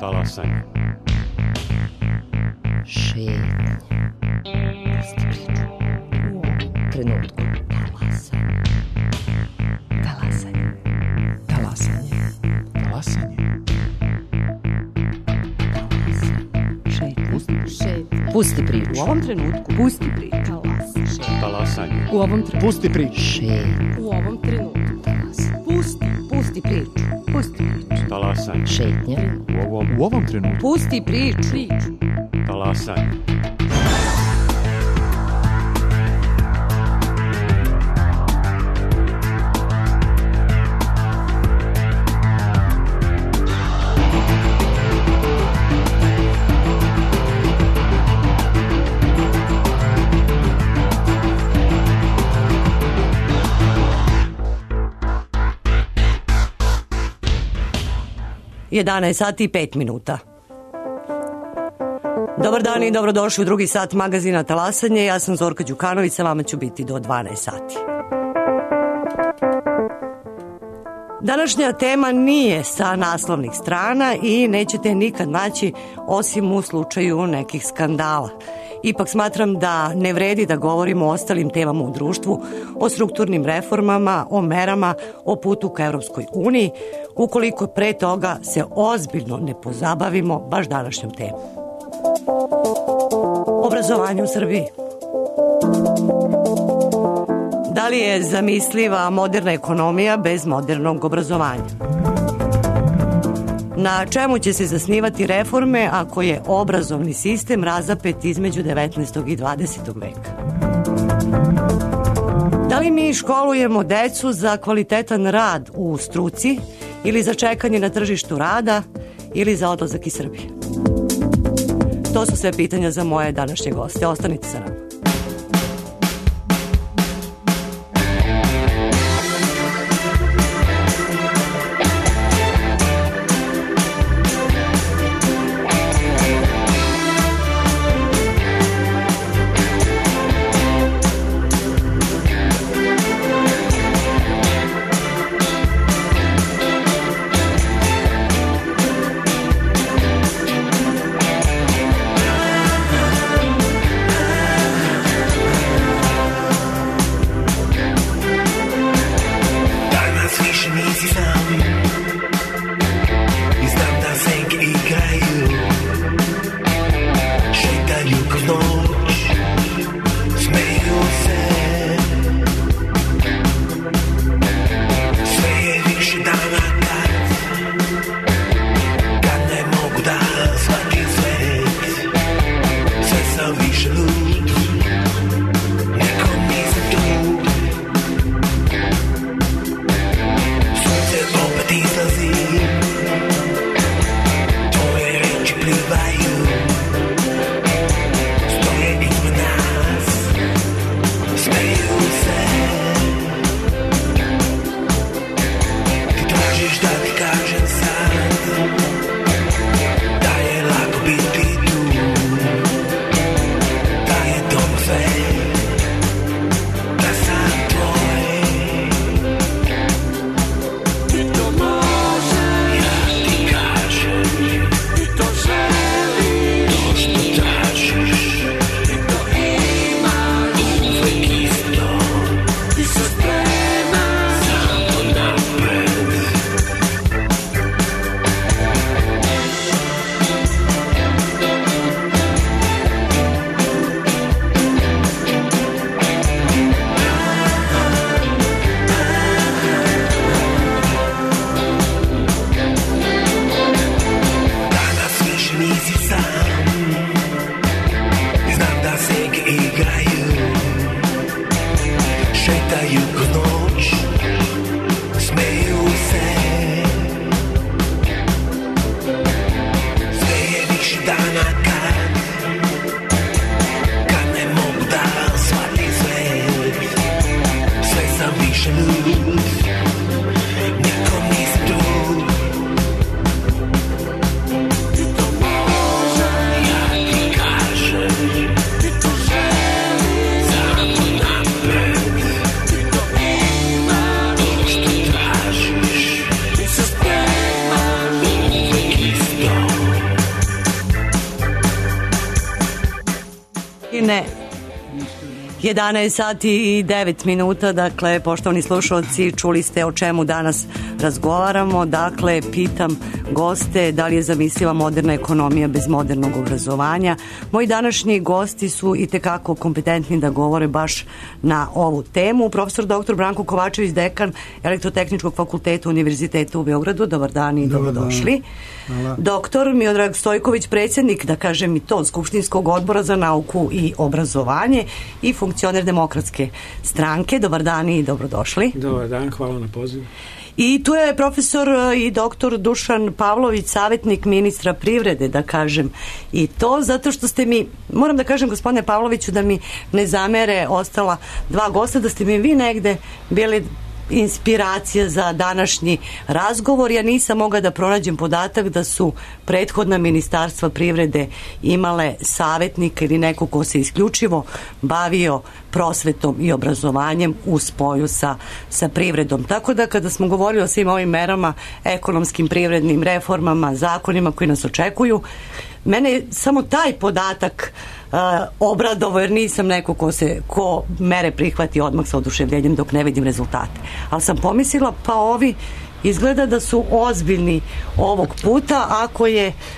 Talasanje. Šetnje. Pusti priču. U ovom trenutku. Talasanje. Talasanje. Talasanje. Pusti priču. U ovom trenutku. Pusti priču. Talasanje. U ovom trenutku. Pusti priču. Šetnje. U ovom trenutku. Pusti priču. Pusti priču. Talasanje. Šetnje. U ovom trenutku. Pusti priču. Talasanje. Jedanaest sati i 5 minuta. Dobar dan i dobrodošli u drugi sat magazina Talasanje. Ja sam Zorka Đukanović, sa vama ću biti do 12 sati. Današnja tema nije sa naslovnih strana i nećete je nikad naći osim u slučaju nekih skandala. Ipak smatram da ne vredi da govorimo o ostalim temama u društvu, o strukturnim reformama, o merama, o putu ka Evropskoj uniji, ukoliko pre toga se ozbiljno ne pozabavimo baš današnjom temom. Obrazovanje u Srbiji. Da li je zamisliva moderna ekonomija bez modernog obrazovanja? Na čemu će se zasnivati reforme ako je obrazovni sistem razapet između 19. i 20. veka? Da li mi školujemo decu za kvalitetan rad u struci ili za čekanje na tržištu rada ili za odlazak iz Srbije? To su sve pitanja za moje današnje goste. Ostanite sa nama. 11 sati i 9 minuta, dakle, poštovani slušalci, čuli ste o čemu danas razgovaramo. Dakle, pitam goste da li je zamisliva moderna ekonomija bez modernog obrazovanja. Moji današnji gosti su itekako kompetentni da govore baš na ovu temu. Profesor dr. Branko Kovačević, dekan Elektrotehničkog fakulteta Univerziteta u Beogradu. Dobar dan i dobrodošli. Doktor Miodrag Stojković, predsjednik, da kažem i to, Skupštinskog odbora za nauku i obrazovanje i funkcioner Demokratske stranke. Dobar dan i dobrodošli. Dobar dan, hvala na pozivu. I tu je profesor i doktor Dušan Pavlović, savjetnik ministra privrede, da kažem i to, zato što ste mi, moram da kažem gospodine Pavloviću, da mi ne zamere ostala dva gosta, da ste mi vi negde bili inspiracija za današnji razgovor. Ja nisam mogla da pronađem podatak da su prethodna ministarstva privrede imale savjetnika ili neko ko se isključivo bavio prosvetom i obrazovanjem u spoju sa privredom. Tako da kada smo govorili o svim ovim merama, ekonomskim, privrednim reformama, zakonima koji nas očekuju, mene je samo taj podatak obradovo, jer nisam neko ko mere prihvati odmah sa oduševljenjem dok ne vidim rezultate. Ali sam pomislila, pa ovi izgleda da su ozbiljni ovog puta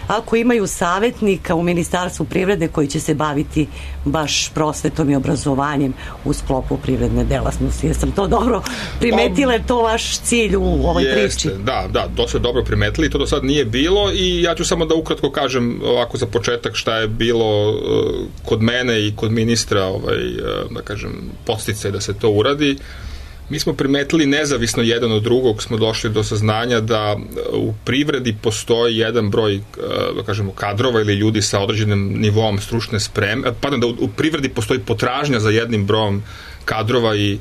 ako imaju savjetnika u Ministarstvu privrede koji će se baviti baš prosvetom i obrazovanjem u sklopu privredne delatnosti. Jesam to dobro primetila, je to vaš cilj u ovoj priči? Da, to ste dobro primetili, to do sad nije bilo i ja ću samo da ukratko kažem ovako za početak šta je bilo kod mene i kod ministra, da kažem, podsticaj da se to uradi. Mi smo primetili nezavisno jedan od drugog, smo došli do saznanja da u privredi postoji jedan broj, da kažemo, kadrova ili ljudi sa određenim nivom stručne spreme, da u privredi postoji potražnja za jednim brojem kadrova i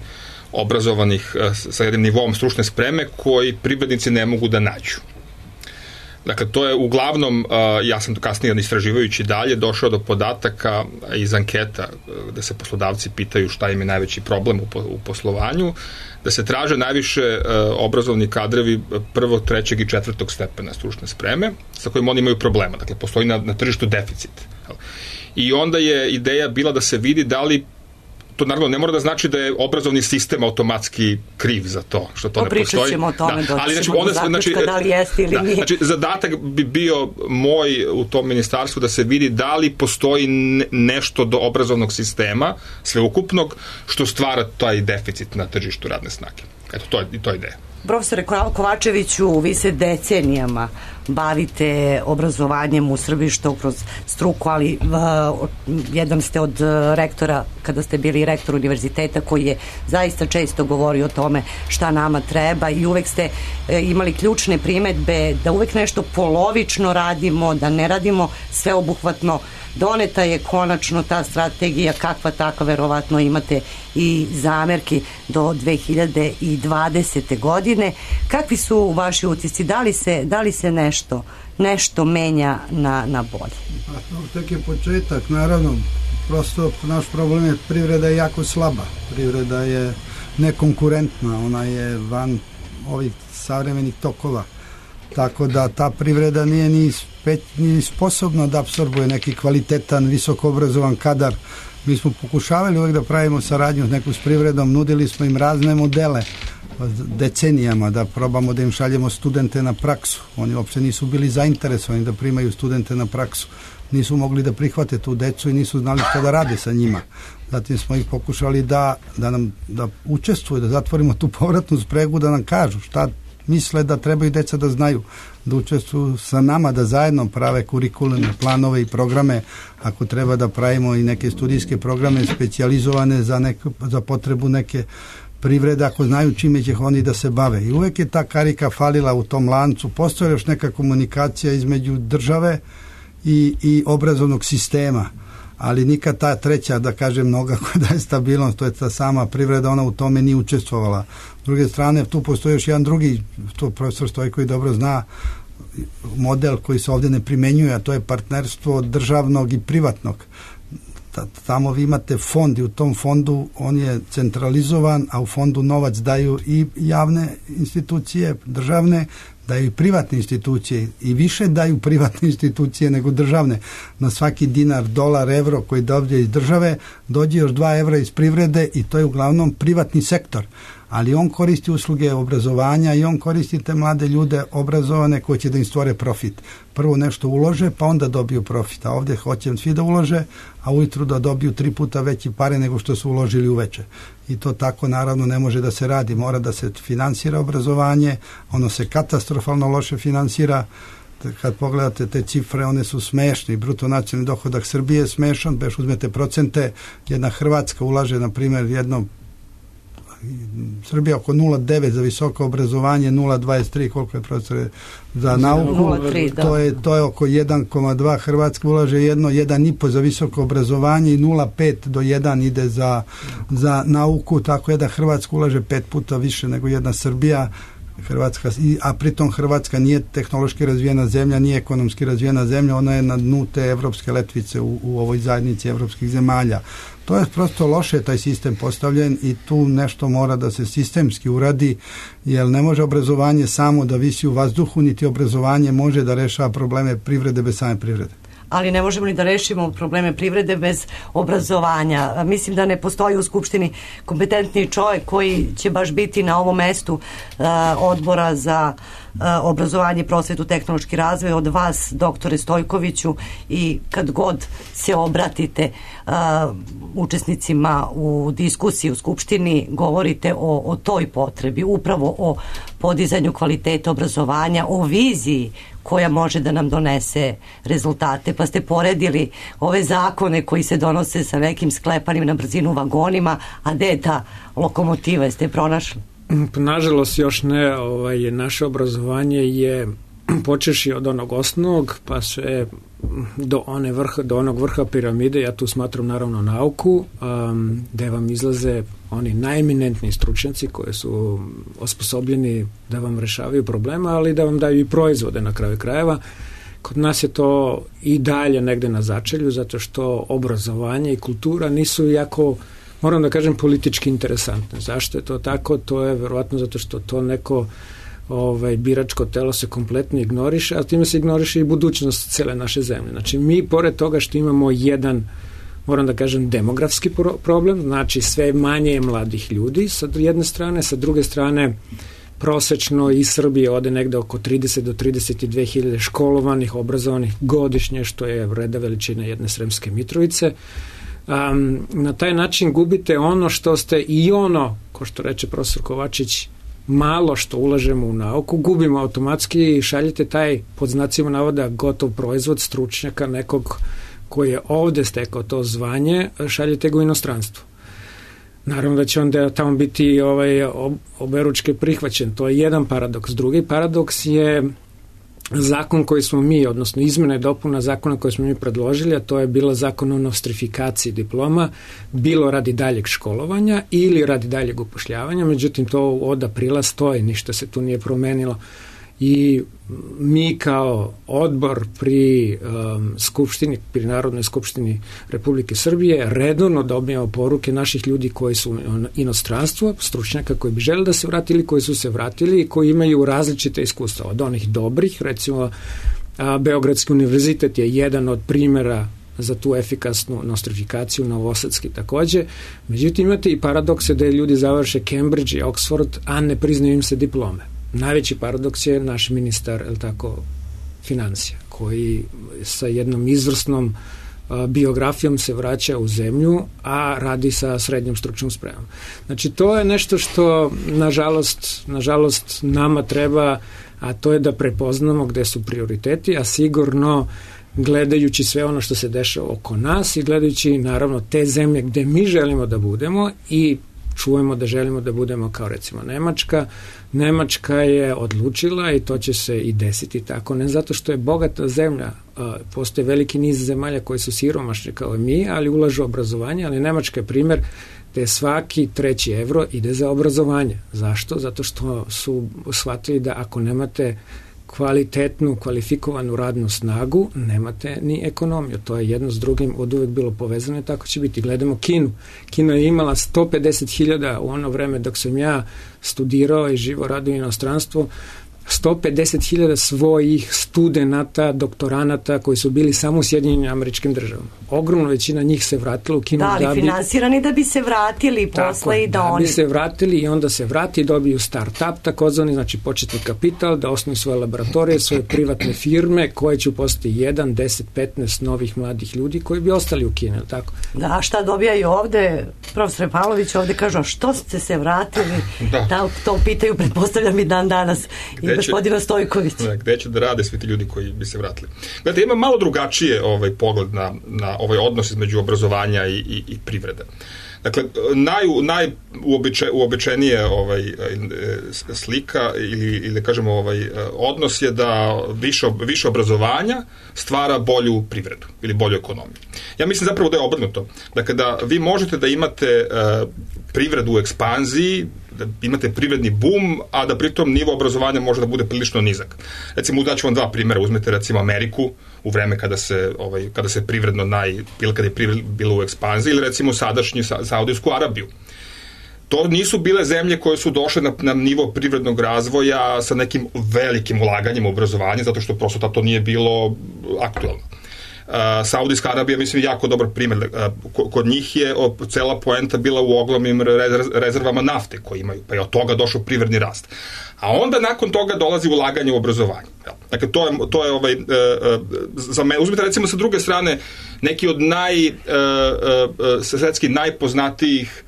obrazovanih sa jednim nivom stručne spreme koji privrednici ne mogu da nađu. Dakle, to je uglavnom, ja sam to kasnije istraživajući dalje, došao do podataka iz anketa gde se poslodavci pitaju šta im je najveći problem u poslovanju, da se traže najviše obrazovni kadrovi prvog, trećeg i četvrtog stepena stručne spreme, sa kojim oni imaju problema. Dakle, postoji na tržištu deficit. I onda je ideja bila da se vidi da li, to naravno ne mora da znači da je obrazovni sistem automatski kriv za to, što to ne postoji. Pričat ćemo o tome, doćemo do zaključka da li jeste ili nije. Znači, zadatak bi bio moj u tom ministarstvu da se vidi da li postoji nešto do obrazovnog sistema, sveukupnog, što stvara taj deficit na tržištu radne snage. Eto, to je ideja. Profesore Kovačeviću, vi se decenijama bavite obrazovanjem u Srbiji, što kroz struku, ali jedan ste od rektora, kada ste bili rektor univerziteta, koji je zaista često govorio o tome šta nama treba i uvek ste imali ključne primedbe da uvek nešto polovično radimo, da ne radimo sveobuhvatno. Doneta je konačno ta strategija, kakva takva, verovatno imate i zamerki do 2020. godine. Kakvi su vaši utisci? Da li se nešto menja na bolje? Tek je početak, naravno. Prosto naš problem je privreda je jako slaba. Privreda je nekonkurentna, ona je van ovih savremenih tokova. Tako da ta privreda nije ni sposobna da apsorbuje neki kvalitetan, visoko obrazovan kadar. Mi smo pokušavali uvek da pravimo saradnju s privredom, nudili smo im razne modele decenijama, da probamo da im šaljemo studente na praksu. Oni uopšte nisu bili zainteresovani da primaju studente na praksu. Nisu mogli da prihvate tu decu i nisu znali šta da rade sa njima. Zatim smo ih pokušali da učestvuju, da zatvorimo tu povratnu spregu, da nam kažu šta misle da trebaju deca da znaju, da učestvuju sa nama, da zajedno prave kurikulne planove i programe, ako treba da pravimo i neke studijske programe specijalizovane za potrebu neke privrede, ako znaju čime će oni da se bave. I uvek je ta karika falila u tom lancu. Postoje još neka komunikacija između države i obrazovnog sistema, ali nikad ta treća, da kažem, noga koja daje stabilnost, to je ta sama privreda, ona u tome nije učestvovala. S druge strane, tu postoji još jedan drugi, to profesor Stojković dobro zna, model koji se ovdje ne primenjuje, a to je partnerstvo državnog i privatnog. Tamo vi imate fond i u tom fondu on je centralizovan, a u fondu novac daju i javne institucije, državne, daju i privatne institucije i više daju privatne institucije nego državne. Na svaki dinar, dolar, evro koji dođe iz države, dođe još 2 evra iz privrede i to je uglavnom privatni sektor. Ali on koristi usluge obrazovanja i on koristi te mlade ljude obrazovane koji će da im stvore profit. Prvo nešto ulože, pa onda dobiju profit. A ovdje hoće svi da ulože, a ujutru da dobiju 3 puta veći pare nego što su uložili uveče. I to tako naravno ne može da se radi. Mora da se finansira obrazovanje, ono se katastrofalno loše finansira. Kad pogledate te cifre, one su smešne. Bruto nacionalni dohodak Srbije je smešan, beš uzmete procente, jedna Hrvatska ulaže, na primjer, Srbija oko 0,9 za visoko obrazovanje, 0,23 koliko je profesore za nauku, 0,3, to je oko 1,2, Hrvatska ulaže 1,5 za visoko obrazovanje i 0,5 do 1 ide za nauku, tako je da Hrvatska ulaže 5 puta više nego jedna Srbija. A pritom Hrvatska nije tehnološki razvijena zemlja, nije ekonomski razvijena zemlja, ona je na dnu te evropske letvice u ovoj zajednici evropskih zemalja. To je prosto loše taj sistem postavljen i tu nešto mora da se sistemski uradi, jer ne može obrazovanje samo da visi u vazduhu, niti obrazovanje može da rešava probleme privrede bez same privrede. Ali ne možemo ni da rešimo probleme privrede bez obrazovanja. Mislim da ne postoji u Skupštini kompetentni čovjek koji će baš biti na ovom mestu odbora za obrazovanje, prosvetu, tehnološki razvoj od vas, doktore Stojkoviću, i kad god se obratite učesnicima u diskusiji u Skupštini, govorite o toj potrebi, upravo o podizanju kvaliteta obrazovanja, o viziji koja može da nam donese rezultate. Pa ste poredili ove zakone koji se donose sa nekim sklepanim na brzinu vagonima, a gde je ta lokomotiva, jeste je pronašli? Nažalost još ne, naše obrazovanje je počeši od onog osnovnog pa sve do onog vrha piramide. Ja tu smatram naravno nauku, gde vam izlaze oni najeminentniji stručnjaci koji su osposobljeni da vam rešavaju problema, ali da vam daju i proizvode na kraju krajeva. Kod nas je to i dalje negde na začelju, zato što obrazovanje i kultura nisu jako, moram da kažem, politički interesantne. Zašto je to tako? To je verovatno zato što to neko biračko telo se kompletno ignoriše, a time se ignoriše i budućnost cele naše zemlje. Znači, mi pored toga što imamo jedan, moram da kažem, demografski problem, znači sve manje je mladih ljudi sa jedne strane, sa druge strane prosečno iz Srbije ode negde oko 30 do 32 hiljade školovanih, obrazovanih godišnje, što je reda veličina jedne Sremske Mitrovice. Na taj način gubite ono što ste i ono, ko što reče profesor Kovačić, malo što ulažemo u nauku, gubimo automatski i šaljete taj, pod znacima navoda, gotov proizvod stručnjaka nekog koji je ovde stekao to zvanje, šaljete ga u inostranstvo. Naravno da će onda tamo biti oberučke prihvaćen. To je jedan paradoks. Drugi paradoks je zakon koji smo mi, odnosno izmena i dopuna zakona koji smo mi predložili, a to je bila zakon o nostrifikaciji diploma, bilo radi daljeg školovanja ili radi daljeg upošljavanja, međutim to od aprila stoji, ništa se tu nije promenilo. I mi kao odbor pri Skupštini, pri Narodnoj skupštini Republike Srbije redovno dobijamo poruke naših ljudi koji su inostranstvo, stručnjaka koji bi želi da se vratili, koji su se vratili i koji imaju različite iskustva. Od onih dobrih, recimo Beogradski univerzitet je jedan od primjera za tu efikasnu nostrifikaciju, novosadski takođe. Međutim, imate i paradokse da ljudi završe Cambridge i Oxford, a ne priznaju im se diplome. Najveći paradoks je naš ministar, financija, koji sa jednom izvrsnom biografijom se vraća u zemlju, a radi sa srednjom stručnom spremom. Znači, to je nešto što, nažalost, nama treba, a to je da prepoznamo gde su prioriteti, a sigurno gledajući sve ono što se dešava oko nas i gledajući, naravno, te zemlje gde mi želimo da budemo i čujemo da želimo da budemo kao recimo Nemačka. Nemačka je odlučila i to će se i desiti tako, ne zato što je bogata zemlja, postoje veliki niz zemalja koji su siromašni kao i mi, ali ulažu u obrazovanje, ali Nemačka je primjer gde svaki 3. evro ide za obrazovanje. Zašto? Zato što su shvatili da ako nemate kvalitetnu, kvalifikovanu radnu snagu, nemate ni ekonomiju. To je jedno s drugim od uvek bilo povezano i tako će biti. Gledamo Kinu. Kina je imala 150.000 u ono vreme dok sam ja studirao i živo radio u inostranstvu. 150.000 svojih studenata, doktoranata koji su bili samo u Sjedinjenim Američkim Državama. Ogromna većina njih se vratila u Kinu. Da, ali finansirani da bi se vratili posle i da oni... Da bi se vratili i onda se vrati i dobiju start-up, takozvani, znači početni kapital, da osnuju svoje laboratorije, svoje privatne firme koje će postati 1, 10, 15 novih mladih ljudi koji bi ostali u Kini, tako? Da, šta dobijaju ovde, profesor Pavlović ovde kažu, što ste se vratili? Da, to pitaju, pretpostavljam i dan danas i gospodina Stojković. Gde će da rade svi ti ljudi koji bi se vratili? Gledajte, ima malo drugačije pogled na ovaj odnos između obrazovanja i privrede. Dakle, najuobičajenije slika ili kažemo odnos je da više obrazovanja stvara bolju privredu ili bolju ekonomiju. Ja mislim zapravo da je obrnuto. Dakle, da vi možete da imate privredu u ekspanziji, da imate privredni bum, a da pritom nivo obrazovanja može da bude prilično nizak. Recimo, daću vam dva primjera. Uzmete recimo Ameriku u vreme kada se privredno ili kada je privredno bilo u ekspanziji, ili recimo sadašnju Saudijsku Arabiju. To nisu bile zemlje koje su došle na nivo privrednog razvoja sa nekim velikim ulaganjem u obrazovanje, zato što prosto to nije bilo aktualno. Saudijska Arabija, mislim, jako dobar primjer. Kod njih je cela poenta bila u ogromnim rezervama nafte koje imaju, pa je od toga došao privredni rast. A onda nakon toga dolazi ulaganje u obrazovanje. Dakle, to je za me, uzmite recimo sa druge strane neki od svetski najpoznatijih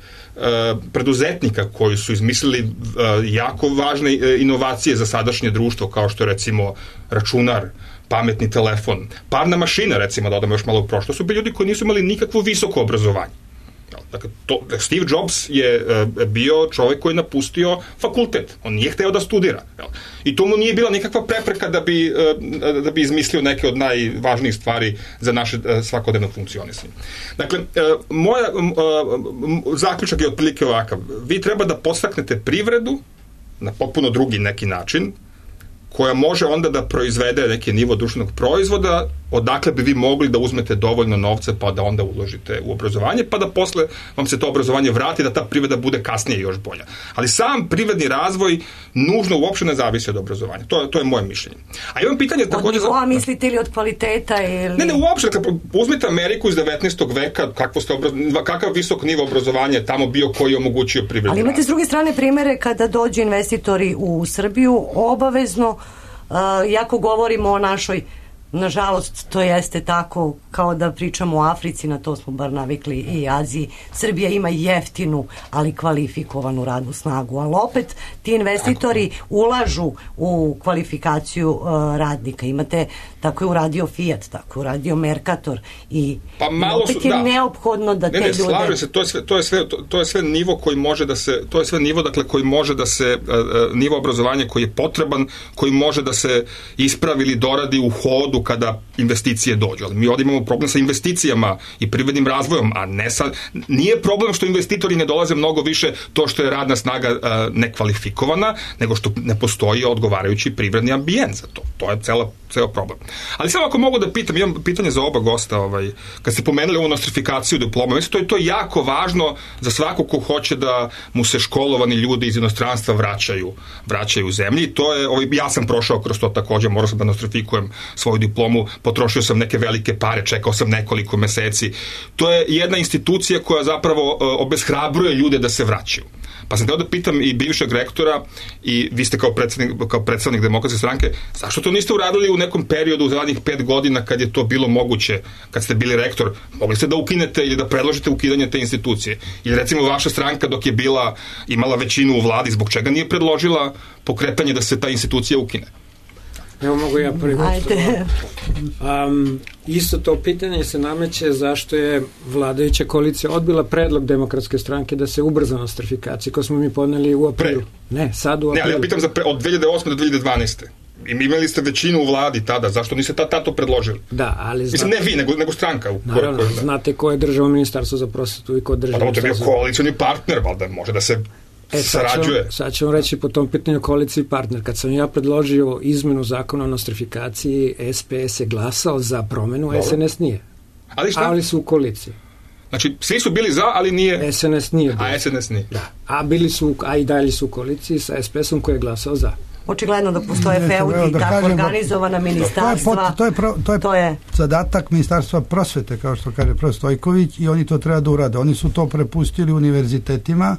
preduzetnika koji su izmislili jako važne inovacije za sadašnje društvo, kao što je recimo računar, pametni telefon, parna mašina, recimo, da odamo još malo u prošlo, su bili ljudi koji nisu imali nikakvo visoko obrazovanje. Dakle, Steve Jobs je bio čovjek koji je napustio fakultet. On nije hteo da studira. I to mu nije bila nikakva prepreka da bi izmislio neke od najvažnijih stvari za naše svakodnevno funkcionisanje. Dakle, moja zaključak je otprilike ovakav. Vi treba da podstaknete privredu na potpuno drugi neki način, koja može onda da proizvede neki nivo društvenog proizvoda, odakle bi vi mogli da uzmete dovoljno novca pa da onda uložite u obrazovanje, pa da posle vam se to obrazovanje vrati, da ta privreda bude kasnije još bolja. Ali sam privredni razvoj nužno uopšte ne zavisi od obrazovanja. To je moje mišljenje. A imam pitanje također... Od nivoa mislite ili od kvaliteta ili... Ne, uopšte. Uzmite Ameriku iz 19. veka, kakav visok nivo obrazovanja je tamo bio koji je omogućio privredni razvoj. Ali imate s druge strane primere kada dođu investitori u Srbiju, obavezno, jako govorimo o našoj, nažalost to jeste tako kao da pričamo o Africi, na to smo bar navikli, i Aziji. Srbija ima jeftinu, ali kvalifikovanu radnu snagu, ali opet ti investitori ulažu u kvalifikaciju radnika. Imate, tako je uradio Fiat, tako je uradio Mercator i opet je neophodno da te ljude... Slažem se, to je sve nivo koji može da se, to je sve nivo, dakle, koji može da se, nivo obrazovanja koji je potreban, koji može da se ispravi ili doradi u hodu kada investicije dođu. Ali mi ovdje imamo problem sa investicijama i privrednim razvojom, a ne nije problem što investitori ne dolaze mnogo više to što je radna snaga nekvalifikovana, nego što ne postoji odgovarajući privredni ambijent za to. To je ceo problem. Ali samo ako mogu da pitam, imam pitanje za oba gosta, kad ste pomenuli ovu nostrifikaciju diploma, mislim, to je jako važno za svako ko hoće da mu se školovani ljudi iz inostranstva vraćaju u zemlji. To je, ja sam prošao kroz to također, morao sam da nostrifikujem svoju diplomu, potrošio sam neke velike pare, čekao sam nekoliko meseci. To je jedna institucija koja zapravo obeshrabruje ljude da se vraćaju. Pa sam teo da pitam i bivšeg rektora i vi ste kao predstavnik Demokratske stranke, zašto to niste uradili u nekom periodu u zadnjih 5 godina kad je to bilo moguće, kad ste bili rektor, mogli ste da ukinete ili da predložite ukidanje te institucije? Ili recimo vaša stranka dok je imala većinu u vladi, zbog čega nije predložila pokretanje da se ta institucija ukine? Evo mogu ja prvi. Isto to pitanje se nameće zašto je vladajuća koalicija odbila predlog Demokratske stranke da se ubrza nostrifikacija, koju smo mi podneli u aprilu. Ne, sad u aprilu. Ne, ali ja pitam od 2008. do 2012. Imali ste većinu u vladi tada, zašto niste to predložili? Da, ali mislim, ne vi, nego stranka. Naravno, znate ko je držao ministarstvo za prosvetu i ko držao... Pa to je bio koalicioni partner, valjda može da se... Sad ću vam reći po tom pitanju koaliciji partner. Kad sam ja predložio izmenu zakona o nostrifikaciji, SPS je glasao za promenu, SNS nije. Ali su u koaliciji. Znači, svi su bili za, ali nije... SNS nije. A SNS nije. Da. A i dalje su u koaliciji sa SPS-om koji je glasao za. Očigledno da postoje feudi, tako organizovana ministarstva. To je zadatak Ministarstva prosvete, kao što kaže profesor Stojković, i oni to treba da urade. Oni su to prepustili univerzitetima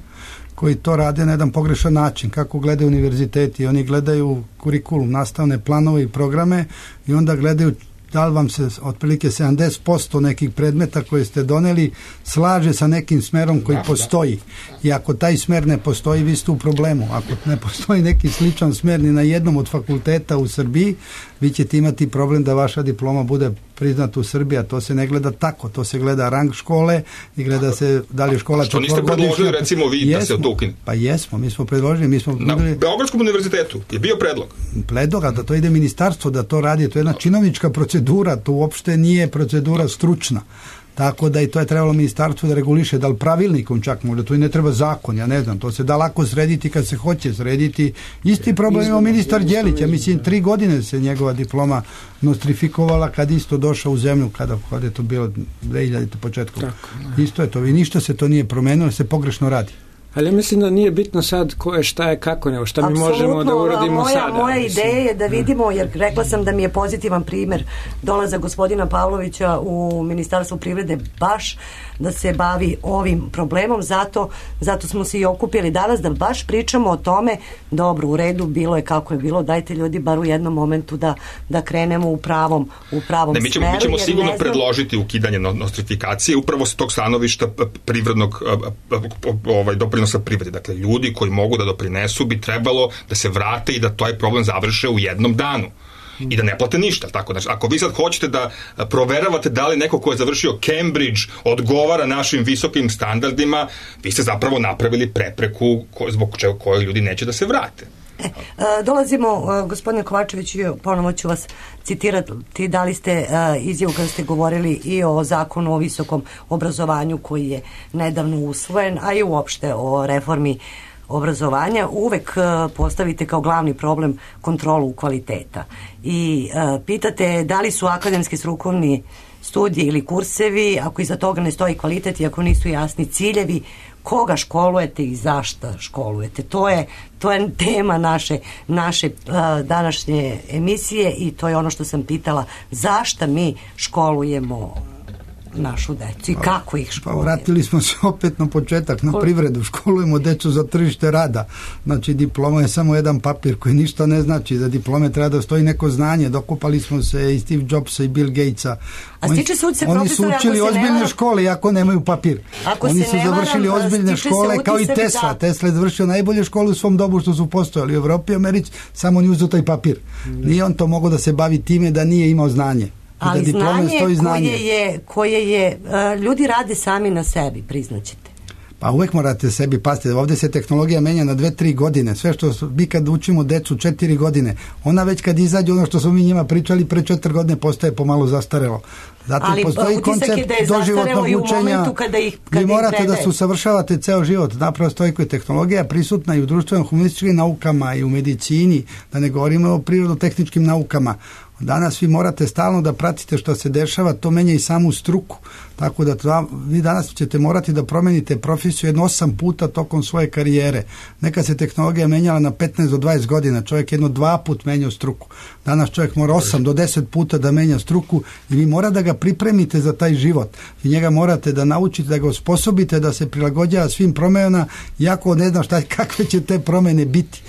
koji to rade na jedan pogrešan način. Kako gledaju univerziteti? Oni gledaju kurikulum, nastavne planove i programe i onda gledaju da li vam se otprilike 70% nekih predmeta koje ste doneli slaže sa nekim smerom koji postoji. I ako taj smer ne postoji, vi ste u problemu. Ako ne postoji neki sličan smer ni na jednom od fakulteta u Srbiji, vi ćete imati problem da vaša diploma bude priznata u Srbiji, a to se ne gleda tako. To se gleda rang škole i gleda se da li je škola što niste predložili, recimo vi, da se to ukine? Pa jesmo, mi smo predložili. Na Beogradskom univerzitetu je bio predlog. A da to ide ministarstvo, da to radi, to je jedna činovnička procedura, to uopšte nije procedura stručna. Tako da i to je trebalo ministarstvo da reguliše, da li pravilnikom čak možda, to i ne treba zakon, ja ne znam, to se da lako srediti kad se hoće srediti. Isti problem ima ministar Đelić, ja mislim 3 godine se njegova diploma nostrifikovala kad isto došao u zemlju, kada je to bilo 2000 početkom. Isto je to, i ništa se to nije promenilo, se pogrešno radi. Ali ja mislim da nije bitno sad ko je, šta je, kako, nego šta mi možemo da uradimo sada. Moja ideja je da vidimo, jer rekla sam da mi je pozitivan primer dolaza gospodina Pavlovića u Ministarstvo privrede baš da se bavi ovim problemom, zato smo se i okupili danas da baš pričamo o tome. Dobro, u redu, bilo je kako je bilo, dajte ljudi bar u jednom momentu da krenemo u pravom smeru. Mi ćemo sigurno predložiti ukidanje nostrifikacije upravo s tog stanovišta privrednog doprinosa privredi. Dakle, ljudi koji mogu da doprinesu bi trebalo da se vrate i da taj problem završe u jednom danu. I da ne plate ništa. Tako, znači, ako vi sad hoćete da proveravate da li neko ko je završio Cambridge odgovara našim visokim standardima, vi ste zapravo napravili prepreku zbog čega koji ljudi neće da se vrate. Dolazimo, gospodine Kovačević, ponovo ću vas citirati, dali ste izjavu kada ste govorili i o zakonu o visokom obrazovanju koji je nedavno usvojen, a i uopšte o reformi obrazovanja. Uvek postavite kao glavni problem kontrolu kvaliteta i pitate da li su akademski strukovni studiji ili kursevi, ako iza toga ne stoji kvalitet i ako nisu jasni ciljevi, koga školujete i zašto školujete. To je tema naše današnje emisije i to je ono što sam pitala, zašto mi školujemo našu decu i kako ih školujemo. Vratili smo se opet na početak, na privredu. Školujemo decu za tržište rada. Znači, diploma je samo jedan papir koji ništa ne znači. Za diplome treba da stoji neko znanje. Dokupali smo se i Steve Jobsa i Bill Gatesa. Oni su učili ozbiljne škole, iako nemaju papir. Oni su završili ozbiljne škole kao i Tesla. Tesla je završio najbolje škole u svom dobu što su postojali u Evropi i Americi, samo on je uzeo taj papir. Nije on to mogao da se bavi time da nije imao znanje. Ali znanje koje je ljudi rade sami na sebi, priznaćete. Pa uvek morate sebi pasti. Ovdje se tehnologija menja na 2-3 godine. Sve što mi kad učimo decu 4 godine, ona već kad izađe ono što smo mi njima pričali pre 4 godine postaje pomalo zastarelo. Zatim postoji koncept doživotnog učenja. Vi morate da se usavršavate ceo život. Napravo stoji koja tehnologija prisutna i u društvenom humanističkim naukama i u medicini, da ne govorimo o prirodno-tehničkim naukama. Danas vi morate stalno da pratite što se dešava, to menja i samu struku. Tako da vi danas ćete morati da promenite profesiju jedno 8 puta tokom svoje karijere. Neka se tehnologija menjala na 15 do 20 godina, čovjek jedno 2 put menjao struku. Danas čovjek mora 8 do 10 puta da menja struku i vi mora da ga pripremite za taj život. Vi njega morate da naučite, da ga osposobite da se prilagođava svim promenama, iako ne znam kakve će te promene biti.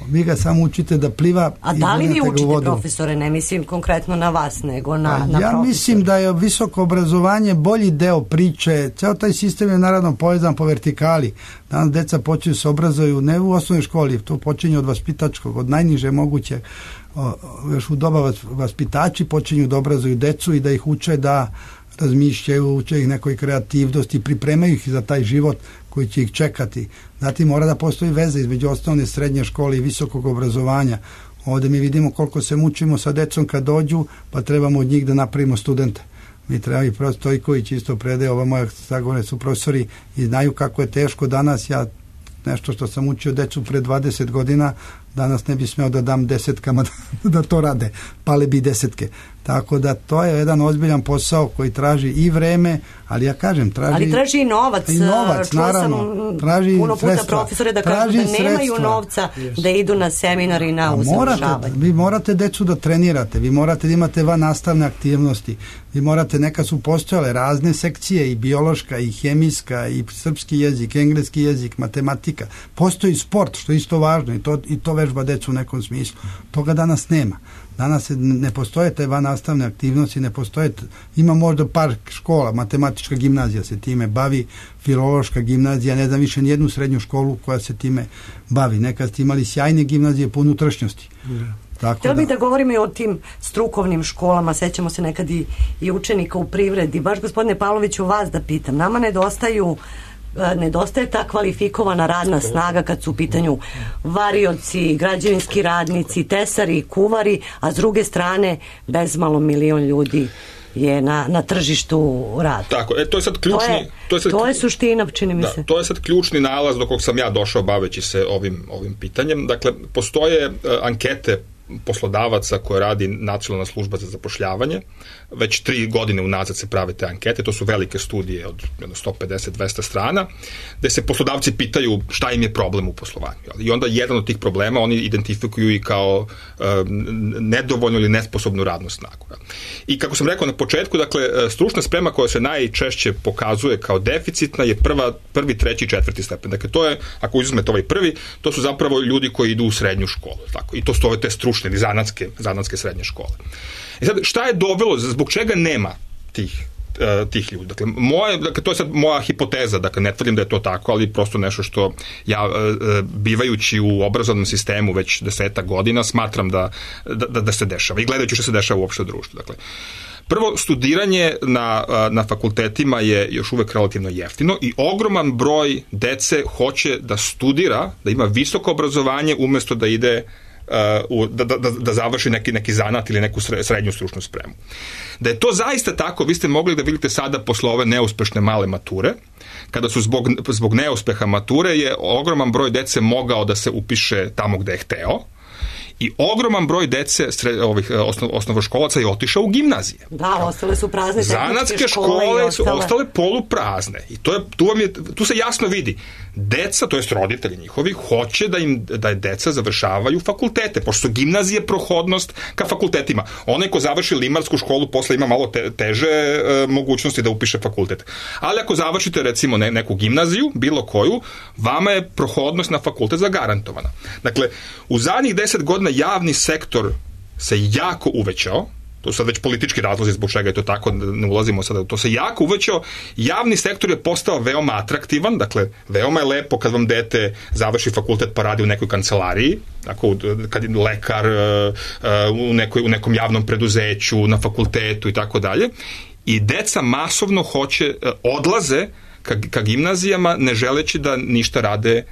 Vi ga samo učite da pliva. A da li vi učite, profesore, ne mislim konkretno na vas, nego na profesore? Ja mislim da je visoko obrazovanje bolji deo priče. Ceo taj sistem je naravno povezan po vertikali. Danas deca počinju se obrazuju ne u osnovnoj školi, to počinje od vaspitačkog, od najniže moguće. Još u doba vaspitači počinju da obrazuju decu i da ih uče da razmišljaju, uče ih nekoj kreativnosti, pripremaju ih za taj život koji će ih čekati. Zatim mora da postoji veza između osnovne, srednje škole i visokog obrazovanja. Ovdje mi vidimo koliko se mučimo sa decom kad dođu, pa trebamo od njih da napravimo studente. Mi treba i profesor Stojković isto predaje, ova moja sagovore su profesori i znaju kako je teško danas. Ja nešto što sam učio decu pre 20 godina, danas ne bi smeo da dam 10 da to rade, pale bi 10. Tako da to je jedan ozbiljan posao koji traži i vreme, ali ja kažem, ali traži i novac. I novac, naravno. Traži puno puta sredstva. Profesore da kažu da nemaju novca da idu na seminar i na usavršavanje. Vi morate decu da trenirate, vi morate da imate van nastavne aktivnosti, vi morate, neka su postojale razne sekcije, i biološka, i hemijska, i srpski jezik, engleski jezik, matematika. Postoji sport, što je isto važno, i to vežba decu u nekom smislu. Toga danas nema. Danas ne postoje te van nastavne aktivnosti, ne postoje, ima možda par škola, matematička gimnazija se time bavi, filološka gimnazija, ne znam više nijednu srednju školu koja se time bavi. Nekad ste imali sjajne gimnazije po unutrašnjosti. Htjela bih da govorimo i o tim strukovnim školama, sećamo se nekad i učenika u privredi. Baš, gospodine Pavloviću, vas da pitam, nama nedostaje ta kvalifikovana radna snaga kad su u pitanju varioci, građevinski radnici, tesari, kuvari, a s druge strane bezmalo 1 milion ljudi je na tržištu rada. Tako, to je sad ključni... To je suština, čini mi se. To je sad ključni nalaz do kog sam ja došao baveći se ovim pitanjem. Dakle, postoje ankete poslodavaca koje radi Nacionalna služba za zapošljavanje. Već 3 godine unazad se prave te ankete, to su velike studije od 150-200 strana, gde se poslodavci pitaju šta im je problem u poslovanju. I onda jedan od tih problema oni identifikuju i kao nedovoljnu ili nesposobnu radnu snagu. I kako sam rekao na početku, dakle, stručna sprema koja se najčešće pokazuje kao deficitna je prvi, treći, četvrti stepen. Dakle, to je, ako uzmete ovaj prvi, to su zapravo ljudi koji idu u srednju školu. Tako. I to su ove te stručne ili zanatske srednje škole. I sad, šta je dovelo, zbog čega nema tih ljudi? Dakle, to je sad moja hipoteza, dakle, ne tvrdim da je to tako, ali prosto nešto što ja, bivajući u obrazovnom sistemu već 10 godina, smatram da se dešava i gledajući što se dešava uopšte u društvu. Dakle, prvo, studiranje na fakultetima je još uvek relativno jeftino i ogroman broj dece hoće da studira, da ima visoko obrazovanje umesto da ide da završi neki zanat ili neku srednju stručnu spremu. Da je to zaista tako, vi ste mogli da vidite sada posle ove neuspešne male mature, kada su zbog neuspeha mature je ogroman broj dece mogao da se upiše tamo gde je hteo, i ogroman broj dece osnovoškolaca je otišao u gimnazije. Da, ostale su prazne. Zanatske škole su ostale poluprazne. I tu se jasno vidi. Deca, to jest roditelji njihovi, hoće da deca završavaju fakultete, pošto su gimnazije prohodnost ka fakultetima. Onaj ko završi limarsku školu posle ima malo teže mogućnosti da upiše fakultet. Ali ako završite recimo neku gimnaziju, bilo koju, vama je prohodnost na fakultet zagarantovana. Dakle, u zadnjih 10 godina javni sektor se jako uvećao, to su sad već politički razlozi zbog čega je to tako, ne ulazimo sada, to se jako uvećao, javni sektor je postao veoma atraktivan, dakle, veoma je lepo kad vam dete završi fakultet pa radi u nekoj kancelariji, tako, kad je lekar, u nekom javnom preduzeću, na fakultetu i tako dalje, i deca masovno odlaze ka gimnazijama, ne želeći da ništa rade,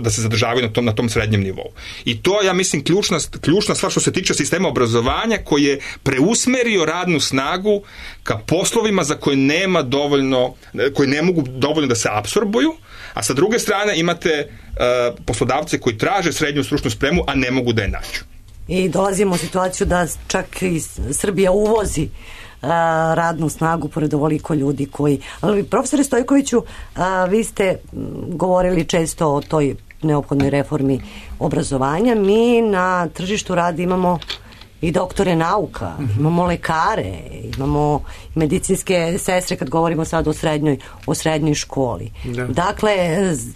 da se zadržavaju na tom srednjem nivou. I to, ja mislim, ključna stvar što se tiče sistema obrazovanja, koji je preusmerio radnu snagu ka poslovima za koje nema dovoljno, koji ne mogu dovoljno da se apsorbuju, a sa druge strane imate poslodavce koji traže srednju stručnu spremu, a ne mogu da je nađu. I dolazimo u situaciju da čak i Srbija uvozi radnu snagu pored ovoliko ljudi koji... Ali, profesore Stojkoviću, vi ste govorili često o toj neophodnoj reformi obrazovanja. Mi na tržištu rada imamo i doktore nauka, imamo lekare, imamo medicinske sestre kad govorimo sad o srednjoj školi. Da. Dakle,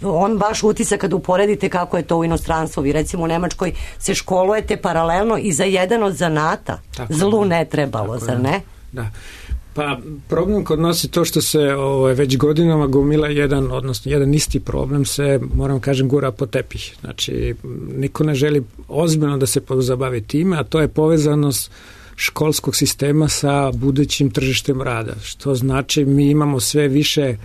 on baš utisak kad uporedite kako je to u inostranstvu. Vi recimo u Nemačkoj se školujete paralelno i za jedan od zanata. Tako zlu ne trebalo, zar ne? Da. Pa problem kod nas je to što se već godinama gomila jedan isti problem se, moram kažem, gura po tepih. Znači, niko ne želi ozbiljno da se pozabavi time, a to je povezanost školskog sistema sa budućim tržištem rada. Što znači mi imamo sve više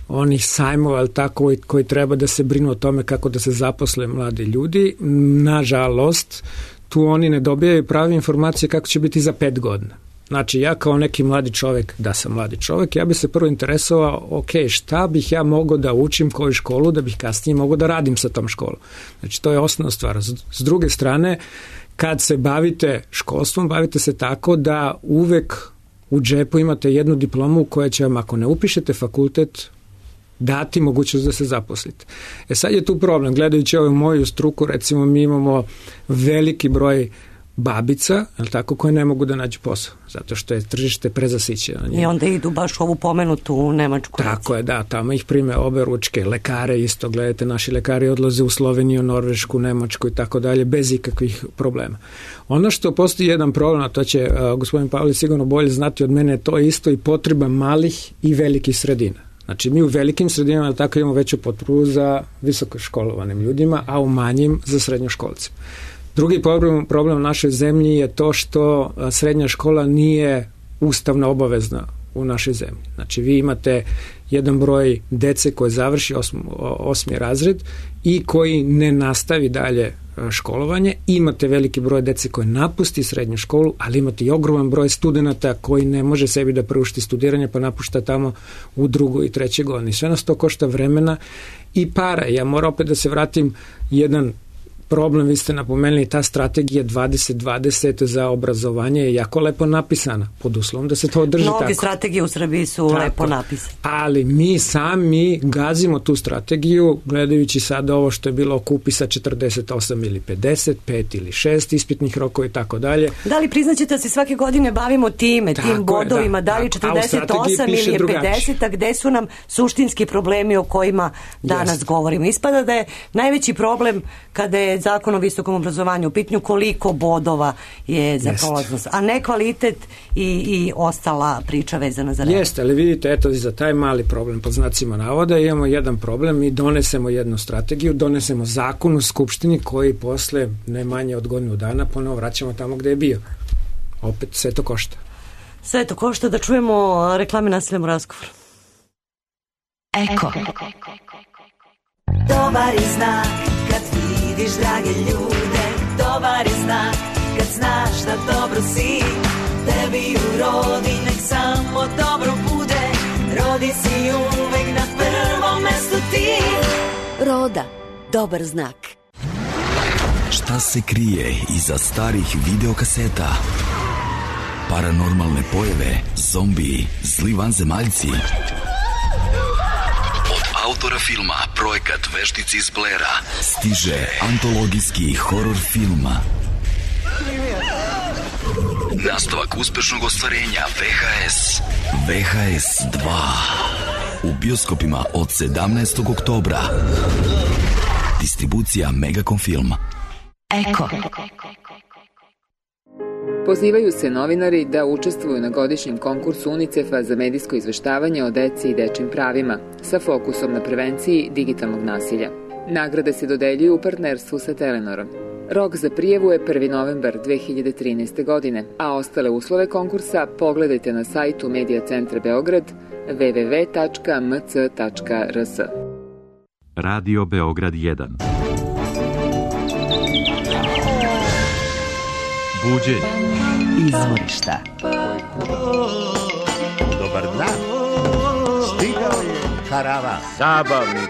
onih sajmova, ali tako, koji treba da se brinu o tome kako da se zaposle mladi ljudi. Nažalost, tu oni ne dobijaju prave informacije kako će biti za 5 godina. Znači, ja kao neki mladi čovjek, da sam mladi čovjek, ja bi se prvo interesovao, ok, šta bih ja mogao da učim koju školu, da bih kasnije mogao da radim sa tom školom. Znači, to je osnovna stvar. S druge strane, kad se bavite školstvom, bavite se tako da uvek u džepu imate jednu diplomu koja će vam, ako ne upišete fakultet, dati mogućnost da se zaposlite. Sad je tu problem, gledajući ovu moju struku, recimo mi imamo veliki broj babica, ali tako, koje ne mogu da nađu posao, zato što je tržište prezasićeno. I onda idu baš u ovu pomenutu u Nemačku. Tako je, da, tamo ih prime obe ručke, lekare isto, gledajte, naši lekari odlaze u Sloveniju, Norvešku, Nemačku i tako dalje, bez ikakvih problema. Ono što postoji jedan problem, a to će gospodin Pavlić sigurno bolje znati od mene, to je isto i potreba malih i velikih sredina. Znači, mi u velikim sredinama tako imamo veću potrebu za visoko školovanim ljudima, a u manjim za srednjoškolcima. Drugi problem u našoj zemlji je to što srednja škola nije ustavno obavezna u našoj zemlji. Znači, vi imate jedan broj dece koje završi 8. razred i koji ne nastavi dalje školovanje. Imate veliki broj dece koje napusti srednju školu, ali imate i ogroman broj studenata koji ne može sebi da priušti studiranje, pa napušta tamo u 2. i 3. godini. Sve nas to košta vremena i para. Ja moram opet da se vratim jedan problem, vi ste napomenuli, ta strategija 2020 za obrazovanje je jako lepo napisana, pod uslovom da se to održi tako. Mnoge strategije u Srbiji su lepo napisane. Ali mi sami gazimo tu strategiju, gledajući sada ovo što je bilo oko upisa 48 ili 50, 5 ili 6 ispitnih rokova i tako dalje. Da li priznaćete da se svake godine bavimo tim bodovima, da li 48 ili je 50, a gde su nam suštinski problemi o kojima danas govorimo? Ispada da je najveći problem kada je Zakon o visokom obrazovanju u pitanju koliko bodova je za prolaznost, a ne kvalitet i ostala priča vezana za rad. Jeste, ali vidite, eto, za taj mali problem pod znacima navoda imamo jedan problem, mi donesemo jednu strategiju, donesemo zakon u Skupštini koji posle ne manje od godinu dana ponovo vraćamo tamo gde je bio. Opet sve to košta. Sve to košta. Da čujemo reklame, nastavljamo razgovor. Eko. Dobar je znak kad vidiš drage ljude, dobar je znak kad znaš da dobro si, tebi u rodi nek samo dobro bude, rodi si uvek na prvom mestu ti. Roda, dobar znak. Šta se krije iza starih videokaseta? Paranormalne pojave, zombiji, zli vanzemaljci. Autora filma Projekat Veštici iz Blera stiže antologijski horor film. Nastavak uspešnog ostvarenja VHS. VHS 2 u bioskopima od 17. oktobra. Distribucija Megacom Film. Eko. Pozivaju se novinari da učestvuju na godišnjem konkursu UNICEF-a za medijsko izveštavanje o deci i dečim pravima, sa fokusom na prevenciji digitalnog nasilja. Nagrade se dodeljuju u partnerstvu sa Telenorom. Rok za prijavu je 1. novembar 2013. godine, a ostale uslove konkursa pogledajte na sajtu Medija centra Beograd www.mc.rs. Radio Beograd 1. Buđenje. Izvorišta. Dobar dan. Stigao je karavan. Zabavnik.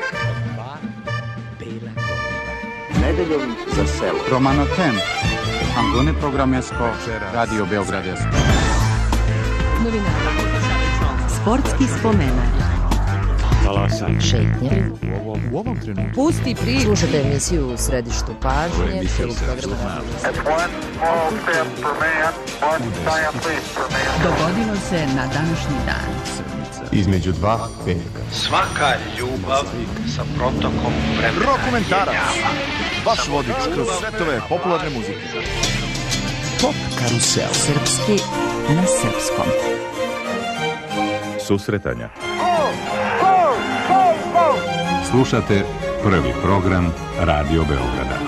Nedeljom za selo. Romano Ten. Angone programesko. Radio Beogradesko. Novinara. Sportski spomenar. Talasanje. Šetnje. U ovom trenutku. Pusti priču. Slušajte emisiju u središtu pažnje. Dogodilo se na današnji dan. Između dva veka. Svaka ljubav sa protokom vremena. Rokomentarac. Vaš vodič kroz svetove popularne muzike. Pop karusel. Srpski na srpskom. Susretanja. Slušate prvi program Radio Beograda.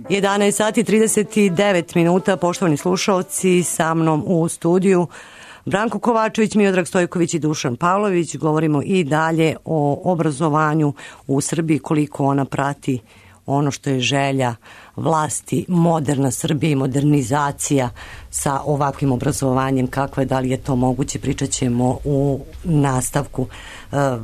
11 sati 39 minuta, poštovani slušalci, sa mnom u studiju Branko Kovačević, Miodrag Stojković i Dušan Pavlović. Govorimo i dalje o obrazovanju u Srbiji, koliko ona prati ono što je želja vlasti, moderna Srbija i modernizacija sa ovakvim obrazovanjem, kakva je, da li je to moguće, pričat ćemo u nastavku.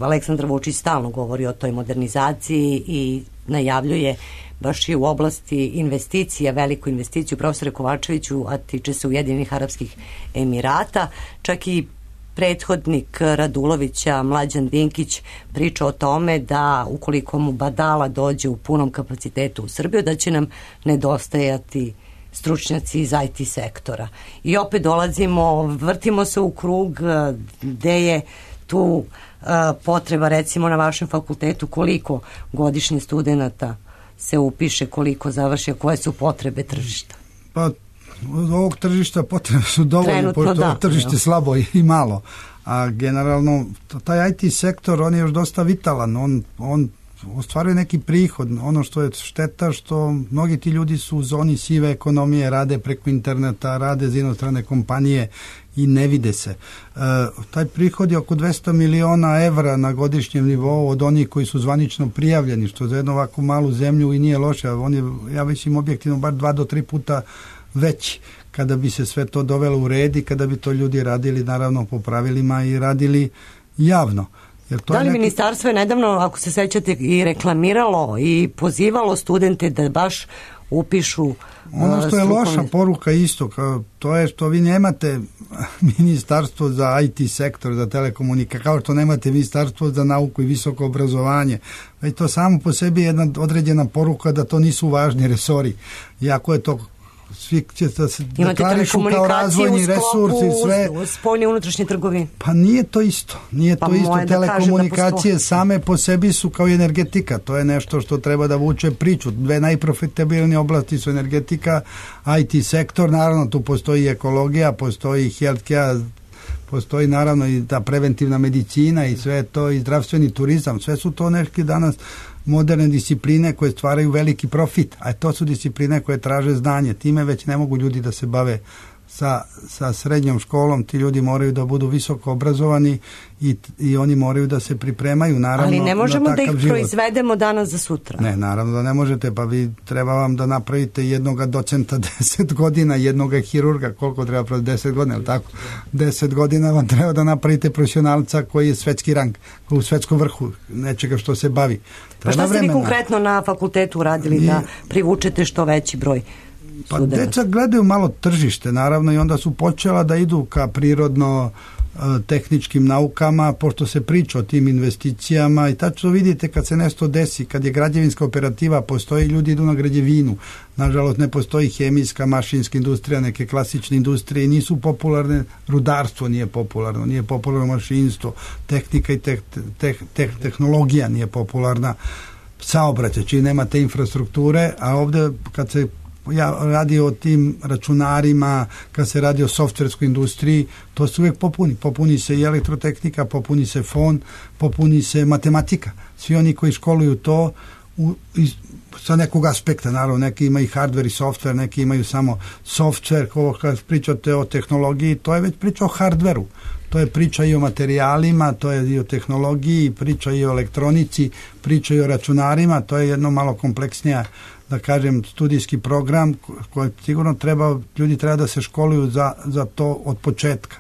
Aleksandar Vučić stalno govori o toj modernizaciji i najavljuje baš i u oblasti investicija, veliku investiciju, profesore Kovačeviću, a tiče se Ujedinjenih Arapskih Emirata. Čak i prethodnik Radulovića, Mlađan Dinkić, priča o tome da ukoliko mu Badala dođe u punom kapacitetu u Srbiju, da će nam nedostajati stručnjaci iz IT sektora. I opet dolazimo, vrtimo se u krug, gde je tu potreba, recimo na vašem fakultetu, koliko godišnje studenata se upiše, koliko završi, koje su potrebe tržišta? Pa od ovog tržišta potrebe su dovoljne, pošto ovo tržište slabo i malo. A generalno, taj IT sektor, on je još dosta vitalan, on ostvaruje neki prihod. Ono što je šteta, što mnogi ti ljudi su u zoni sive ekonomije, rade preko interneta, rade za inostrane kompanije i ne vide se. Taj prihod je oko 200 miliona evra na godišnjem nivou od onih koji su zvanično prijavljeni, što za jednu ovakvu malu zemlju i nije loše. On je, ja mislim, objektivno bar 2 do 3 puta veći. Kada bi se sve to dovelo u red i kada bi to ljudi radili naravno po pravilima i radili javno. Da li ministarstvo je nedavno, ako se sećate, i reklamiralo i pozivalo studente da baš upišu ono što je loša poruka isto, to je što vi nemate ministarstvo za IT sektor, za telekomunikacije, kao što nemate ministarstvo za nauku i visoko obrazovanje. Već to samo po sebi je jedna određena poruka da to nisu važni resori. Iako je to svi će da se deklarišu kao razvojni resursi i sve. Spoljne unutrašnje trgovine. Pa nije to isto. Nije to isto. Telekomunikacije same po sebi su kao energetika. To je nešto što treba da vuče priču. 2 najprofitabilnije oblasti su energetika, IT sektor, naravno tu postoji ekologija, postoji healthcare, postoji naravno i ta preventivna medicina i sve to, i zdravstveni turizam. Sve su to neki danas moderne discipline koje stvaraju veliki profit, a to su discipline koje traže znanje. Time već ne mogu ljudi da se bave sa srednjom školom, ti ljudi moraju da budu visoko obrazovani i oni moraju da se pripremaju naravno. Ali ne možemo da ih život proizvedemo danas za sutra. Ne, naravno da ne možete, pa vi treba vam da napravite jednog docenta 10 godina, jednog hirurga, koliko treba proći 10 godina, ili tako? 10 godina vam treba da napravite profesionalca koji je svetski rang, koji je u svetskom vrhu nečega što se bavi. Pa šta ste vi konkretno na fakultetu uradili da privučete što veći broj? Pa deca gledaju malo tržište naravno i onda su počela da idu ka prirodno tehničkim naukama, pošto se priča o tim investicijama i tačno vidite kad se nešto desi, kad je građevinska operativa, postoji, ljudi idu na građevinu. Nažalost ne postoji hemijska, mašinska industrija, neke klasične industrije, nisu popularne, rudarstvo nije popularno mašinstvo, tehnika i tehnologija nije popularna, saobraćaj, čiji nema te infrastrukture, a ovde kad se radi o tim računarima, kad se radi o softverskoj industriji, to se uvijek popuni se i elektrotehnika, popuni se fon, popuni se matematika. Svi oni koji školuju to sa nekog aspekta, naravno, neki imaju hardware i software, neki imaju samo software, kad pričate o tehnologiji, to je već priča o hardveru. To je priča i o materijalima, to je i o tehnologiji, priča i o elektronici, priča i o računarima, to je jedno malo kompleksnija, da kažem, studijski program koji sigurno ljudi treba da se školuju za to od početka.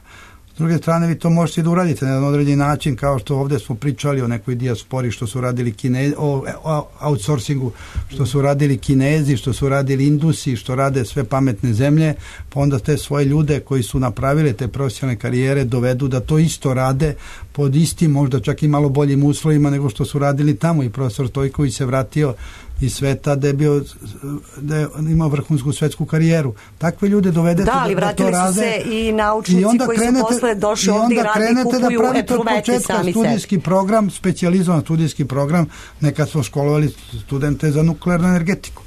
S druge strane, vi to možete da uradite na jedan određeni način, kao što ovdje smo pričali o nekoj dijaspori, što su radili Kinezi, o outsourcingu, što su radili Kinezi, što su radili Indusi, što rade sve pametne zemlje, pa onda te svoje ljude koji su napravili te profesionalne karijere dovedu da to isto rade pod istim, možda čak i malo boljim uslovima nego što su radili tamo. I profesor Stojković se vratio iz sveta da je imao vrhunsku svetsku karijeru. Takve ljude dovedete ali vratili su se i naučnici koji su posle došli ovdje i radi, kupuju epruvete sami studijski program, specijalizovan studijski program. Nekad smo školovali studente za nuklearnu energetiku.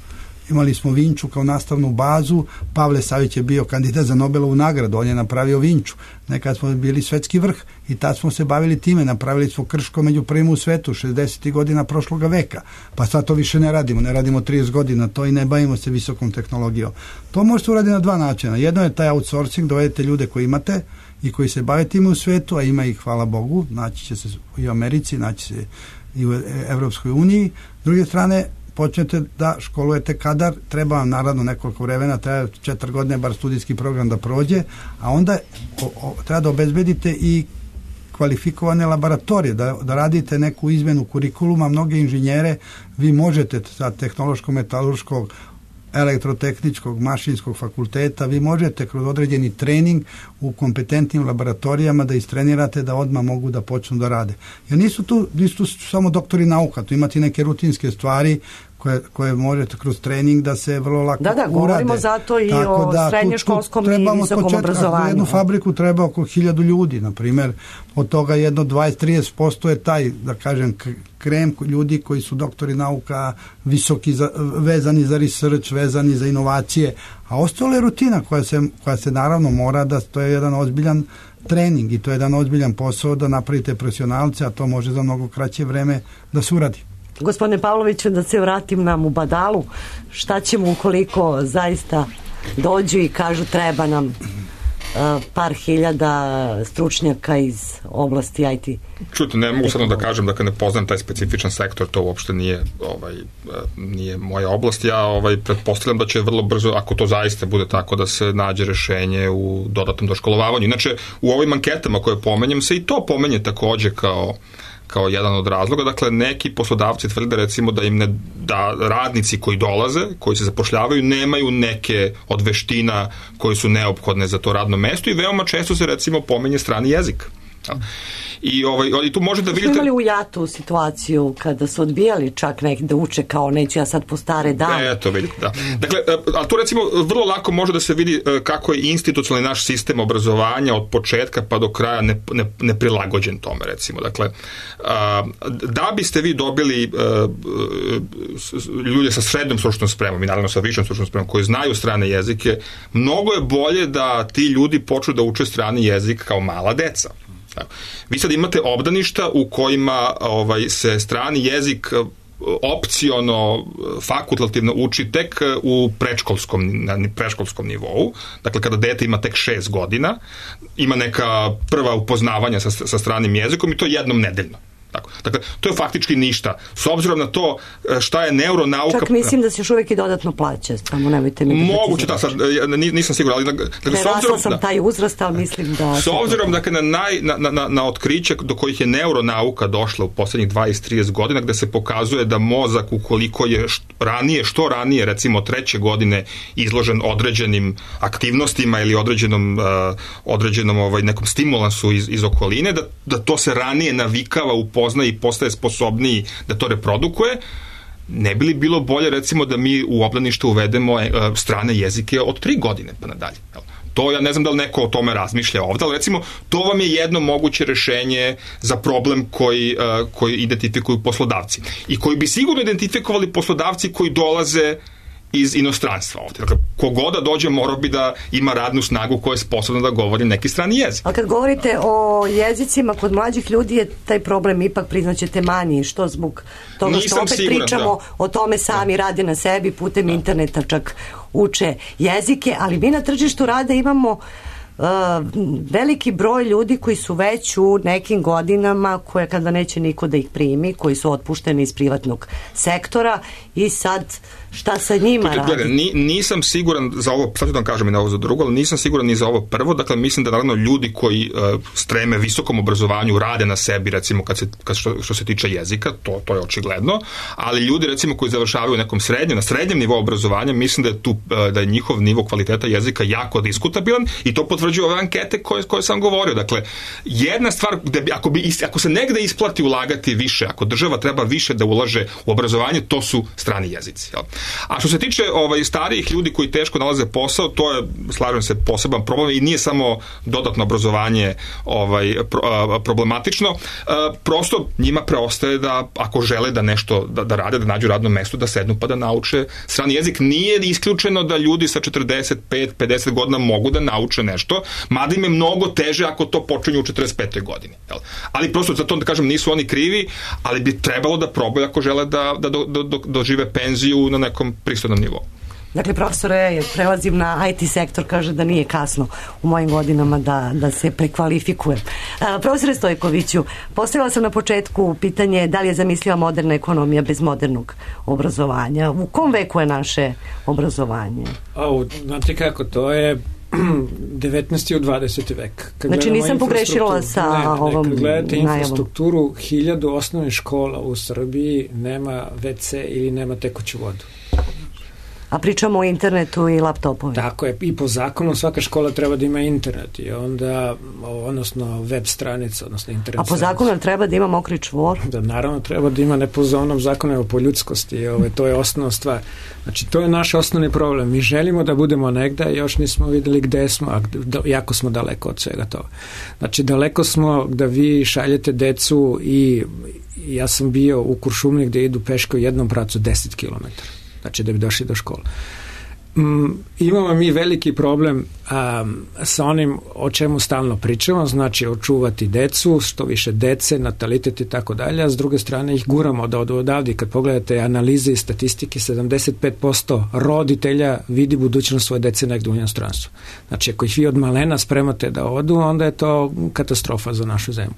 imali smo Vinču kao nastavnu bazu, Pavle Savić je bio kandidat za Nobelovu nagradu, on je napravio Vinču. Nekad smo bili svetski vrh i tad smo se bavili time, napravili smo Krško među prvim u svetu 60. godina prošloga veka, pa sad to više ne radimo 30 godina to i ne bavimo se visokom tehnologijom. To možete uraditi na dva načina. Jedno je taj outsourcing, dovedete ljude koji imate i koji se bave time u svetu, a ima ih, hvala Bogu, naći će se i u Americi, naći se i u Evropskoj uniji. S druge strane, počnete da školujete kadar, treba vam naravno nekoliko vremena, treba 4 godine bar studijski program da prođe, a onda treba da obezbedite i kvalifikovane laboratorije, da radite neku izmenu kurikuluma. Mnoge inženjere vi možete sa tehnološko-metalurškog, elektrotehničkog, mašinskog fakulteta, vi možete kroz određeni trening u kompetentnim laboratorijama da istrenirate da odmah mogu da počnu da rade. Jer nisu tu samo doktori nauka, tu imate neke rutinske stvari koje možete kroz trening da se vrlo lako urade. Da, govorimo zato i o srednjoškolskom i visokom obrazovanju. Jednu fabriku treba oko 1000 ljudi, na primjer, od toga jedno 20-30% je taj, da kažem, krem ljudi koji su doktori nauka, visoki, vezani za research, vezani za inovacije, a ostalo je rutina koja se naravno mora da, to je jedan ozbiljan trening i to je jedan ozbiljan posao da napravite profesionalce, a to može za mnogo kraće vreme da se uradi. Gospodine Pavloviću, da se vratim na Mubadalu, šta ćemo ukoliko zaista dođu i kažu treba nam par hiljada stručnjaka iz oblasti IT? Čujte, ne mogu samo da kažem, dakle ne poznam taj specifičan sektor, to uopšte nije moja oblast. Ja pretpostavljam da će vrlo brzo, ako to zaista bude tako, da se nađe rešenje u dodatnom doškolovavanju. Inače, u ovim anketama koje pomenjem se i to pomenje takođe kao jedan od razloga. Dakle, neki poslodavci tvrde recimo da radnici koji dolaze, koji se zapošljavaju, nemaju neke od veština koji su neophodne za to radno mesto i veoma često se recimo pominje strani jezik. I tu možete da vidite... Smo imali u JAT-u situaciju kada su odbijali čak neki da uče kao neću ja sad po stare dane. Eto, vidite, da. Dakle, ali tu recimo vrlo lako može da se vidi kako je institucionalni naš sistem obrazovanja od početka pa do kraja neprilagođen tome, recimo. Dakle, da biste vi dobili ljude sa srednjom stručnom spremom i naravno sa višom stručnom spremom koji znaju strane jezike, mnogo je bolje da ti ljudi počnu da uče strani jezik kao mala deca. Vi sad imate obdaništa u kojima se strani jezik opciono, fakultativno uči tek u predškolskom nivou. Dakle, kada dete ima tek 6 godina, ima neka prva upoznavanja sa stranim jezikom i to jednom nedeljno. Dakle, to je faktički ništa. S obzirom na to šta je neuronauka... Čak mislim da se još uvijek i dodatno plaća, samo nemojte mi... Moguće, da, sad, nisam siguran, ali... Prerasla sam taj uzrast, ali mislim da... S obzirom, dakle, na otkriće do kojih je neuronauka došla u poslednjih 20-30 godina, gde se pokazuje da mozak, ukoliko je što ranije, recimo 3. godine, izložen određenim aktivnostima ili određenom nekom stimulansu iz okoline, da to se ranije navikava upozna i postaje sposobniji da to reprodukuje, ne bi li bilo bolje recimo da mi u obdanište uvedemo strane jezike od 3 godine pa nadalje. To ja ne znam da li neko o tome razmišlja ovdje, ali recimo to vam je jedno moguće rešenje za problem koji identifikuju poslodavci i koji bi sigurno identifikovali poslodavci koji dolaze iz inostranstva ovdje. Dakle, kogoda dođe morao bi da ima radnu snagu koja je sposobna da govori neki strani jezik. A kad govorite o jezicima, kod mlađih ljudi je taj problem ipak, priznaćete, manji, što zbog toga što opet pričamo o tome sami rade na sebi, putem interneta čak uče jezike, ali mi na tržištu rada imamo veliki broj ljudi koji su već u nekim godinama, koje kada neće niko da ih primi, koji su otpušteni iz privatnog sektora i sad šta sa njima radi? Nisam siguran za ovo, sad ću da vam kažem i na ovo za drugo, ali nisam siguran ni za ovo prvo. Dakle, mislim da naravno ljudi koji streme visokom obrazovanju rade na sebi, recimo što se tiče jezika, to je očigledno, ali ljudi recimo koji završavaju nekom na srednjem nivou obrazovanja, mislim da je njihov nivo kvaliteta jezika jako diskutabilan i to potvrđuju ove ankete koje sam govorio. Dakle, jedna stvar, ako se negde isplati ulagati više, ako država treba više da ulaže u obrazovanje, to su strani jezici. Jel? A što se tiče starijih ljudi koji teško nalaze posao, to je, slažem se, poseban problem i nije samo dodatno obrazovanje problematično. Prosto njima preostaje da, ako žele da nešto da rade, da nađu radno mesto, da sednu pa da nauče strani jezik. Nije isključeno da ljudi sa 45-50 godina mogu da nauče nešto, mada im je mnogo teže ako to počinju u 45. godini. Ali prosto za to da kažem nisu oni krivi, ali bi trebalo da probaju ako žele da dožive penziju na nekom pristojnom nivou. Dakle, profesore, prelazim na IT sektor, kaže da nije kasno u mojim godinama da se prekvalifikujem. Profesore Stojkoviću, postavila sam na početku pitanje da li je zamisliva moderna ekonomija bez modernog obrazovanja. U kom veku je naše obrazovanje? Znate kako, to je 19. u 20. vek. Znači nisam pogrešila sa ovom kad gledate infrastrukturu, 1000 osnovnih škola u Srbiji nema WC ili nema tekuću vodu. A pričamo o internetu i laptopovima. Tako je, i po zakonu svaka škola treba da ima internet i onda, odnosno web stranica, odnosno internet. A po zakonu treba da ima mokri čvor? Da, naravno treba da ima, ne po onom zakonu, nego po ljudskosti, to je osnovna stvar. Znači, to je naš osnovni problem. Mi želimo da budemo negde, još nismo videli gde smo, a jako smo daleko od svega toga. Znači, daleko smo da vi šaljete decu i ja sam bio u Kuršumliji gde idu peške u jednom pracu 10 km. Znači da bi došli do škole. Imamo mi veliki problem sa onim o čemu stalno pričamo, znači očuvati decu, što više dece, natalitet i tako dalje, a s druge strane ih guramo da odu odavde. Kad pogledate analize i statistike, 75% roditelja vidi budućnost svoje dece negdje u inostranstvu. Znači ako ih vi od malena spremate da odu, onda je to katastrofa za našu zemlju.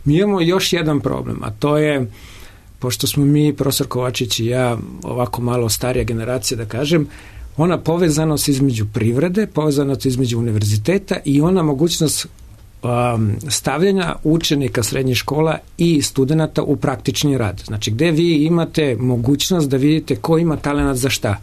Mi imamo još jedan problem, a to je, pošto smo mi, profesor Kovačić i ja, ovako malo starija generacija da kažem, ona povezanost između privrede, povezanost između univerziteta i ona mogućnost stavljanja učenika srednjih škola i studenata u praktični rad. Znači gde vi imate mogućnost da vidite ko ima talenat za šta.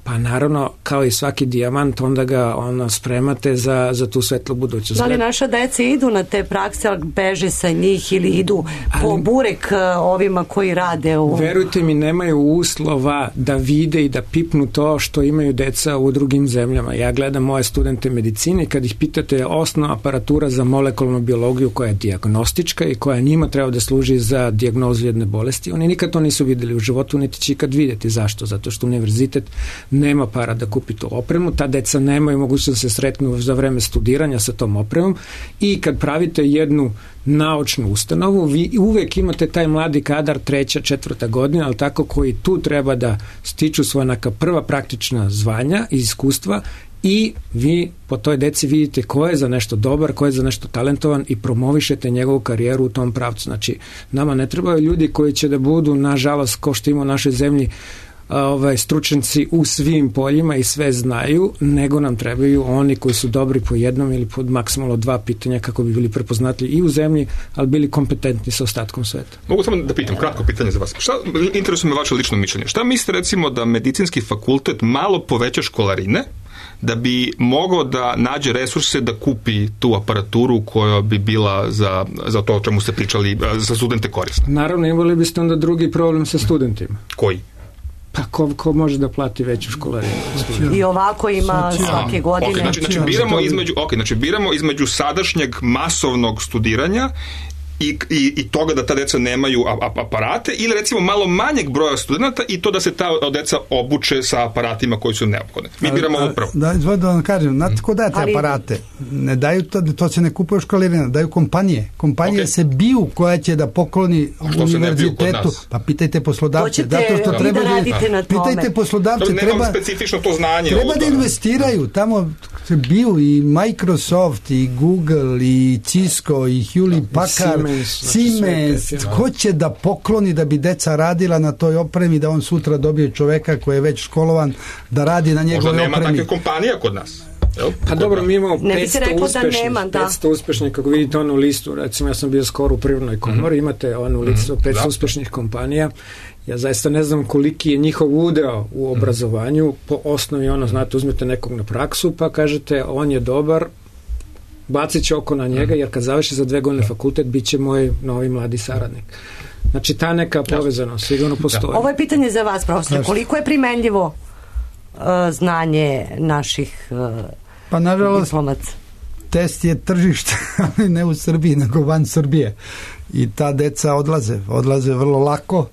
Pa naravno, kao i svaki dijamant, onda ga spremate za tu svetlu budućnost. Da li naša deca idu na te prakse, ali beže sa njih ili idu po burek ovima koji rade u... Verujte mi, nemaju uslova da vide i da pipnu to što imaju deca u drugim zemljama. Ja gledam moje studente medicine i kad ih pitate osnovna aparatura za molekularnu biologiju koja je dijagnostička i koja njima treba da služi za dijagnozu jedne bolesti, oni nikad to nisu videli u životu, niti će ikad vidjeti. Zašto? Zato što univerzitet nema para da kupi tu opremu, ta deca nemaju mogućnost da se sretnu za vreme studiranja sa tom opremom i kad pravite jednu naučnu ustanovu, vi uvek imate taj mladi kadar 3., 4. godina, ali tako koji tu treba da stiču svoja neka prva praktična zvanja i iskustva i vi po toj deci vidite ko je za nešto dobar, ko je za nešto talentovan i promovišete njegovu karijeru u tom pravcu. Znači, nama ne trebaju ljudi koji će da budu, nažalost, ko što ima u našoj zemlji, stručnjaci u svim poljima i sve znaju, nego nam trebaju oni koji su dobri po jednom ili pod maksimalno 2 pitanja kako bi bili prepoznatljivi i u zemlji, ali bili kompetentni sa ostatkom sveta. Mogu samo da pitam, kratko pitanje za vas. Šta interesuje me vaše lično mišljenje? Šta mislite recimo da medicinski fakultet malo poveća školarine da bi mogao da nađe resurse da kupi tu aparaturu koja bi bila za to o čemu ste pričali, za studente korisna? Naravno, imali biste onda drugi problem sa studentima. Koji? Pa ko može da plati veću školarinu? I ovako ima svake godine. Znači biramo između sadašnjeg masovnog studiranja i toga da ta deca nemaju aparate ili recimo malo manjeg broja studenta i to da se ta deca obuče sa aparatima koji su neophodni. Mi biramo upravo. Da vam kažem, znate ko daje te aparate? Ne daju to se ne kupuje u školarina, daju kompanije. Kompanije se biju koja će da pokloni univerzitetu. Pa pitajte poslodavce. Zato što treba da radite na tome. Pitajte poslodavce. Nemam specifično to znanje. Treba da investiraju. Tamo se biju i Microsoft, i Google, i Cisco, i Hewlett Packard, Siemens, ko će da pokloni da bi deca radila na toj opremi, da on sutra dobije čoveka koji je već školovan da radi na njegove opremi. Možda nema takve kompanija kod nas. Pa dobro, mi imamo 500 uspešnih, kako vidite onu listu, recimo ja sam bio skoro u Privrednoj komori, imate onu listu 500 uspešnih kompanija. Ja zaista ne znam koliki je njihov udeo u obrazovanju, po osnovi znate, uzmete nekog na praksu pa kažete on je dobar, bacit će oko na njega, jer kad završi za 2 godine fakultet, bit će moj novi mladi saradnik. Znači ta neka povezanost sigurno postoji. Ovo je pitanje za vas, profesor. Koliko je primenljivo znanje naših pa nažalost diplomaca? Test je tržište, ali ne u Srbiji, nego van Srbije. I ta deca odlaze vrlo lako,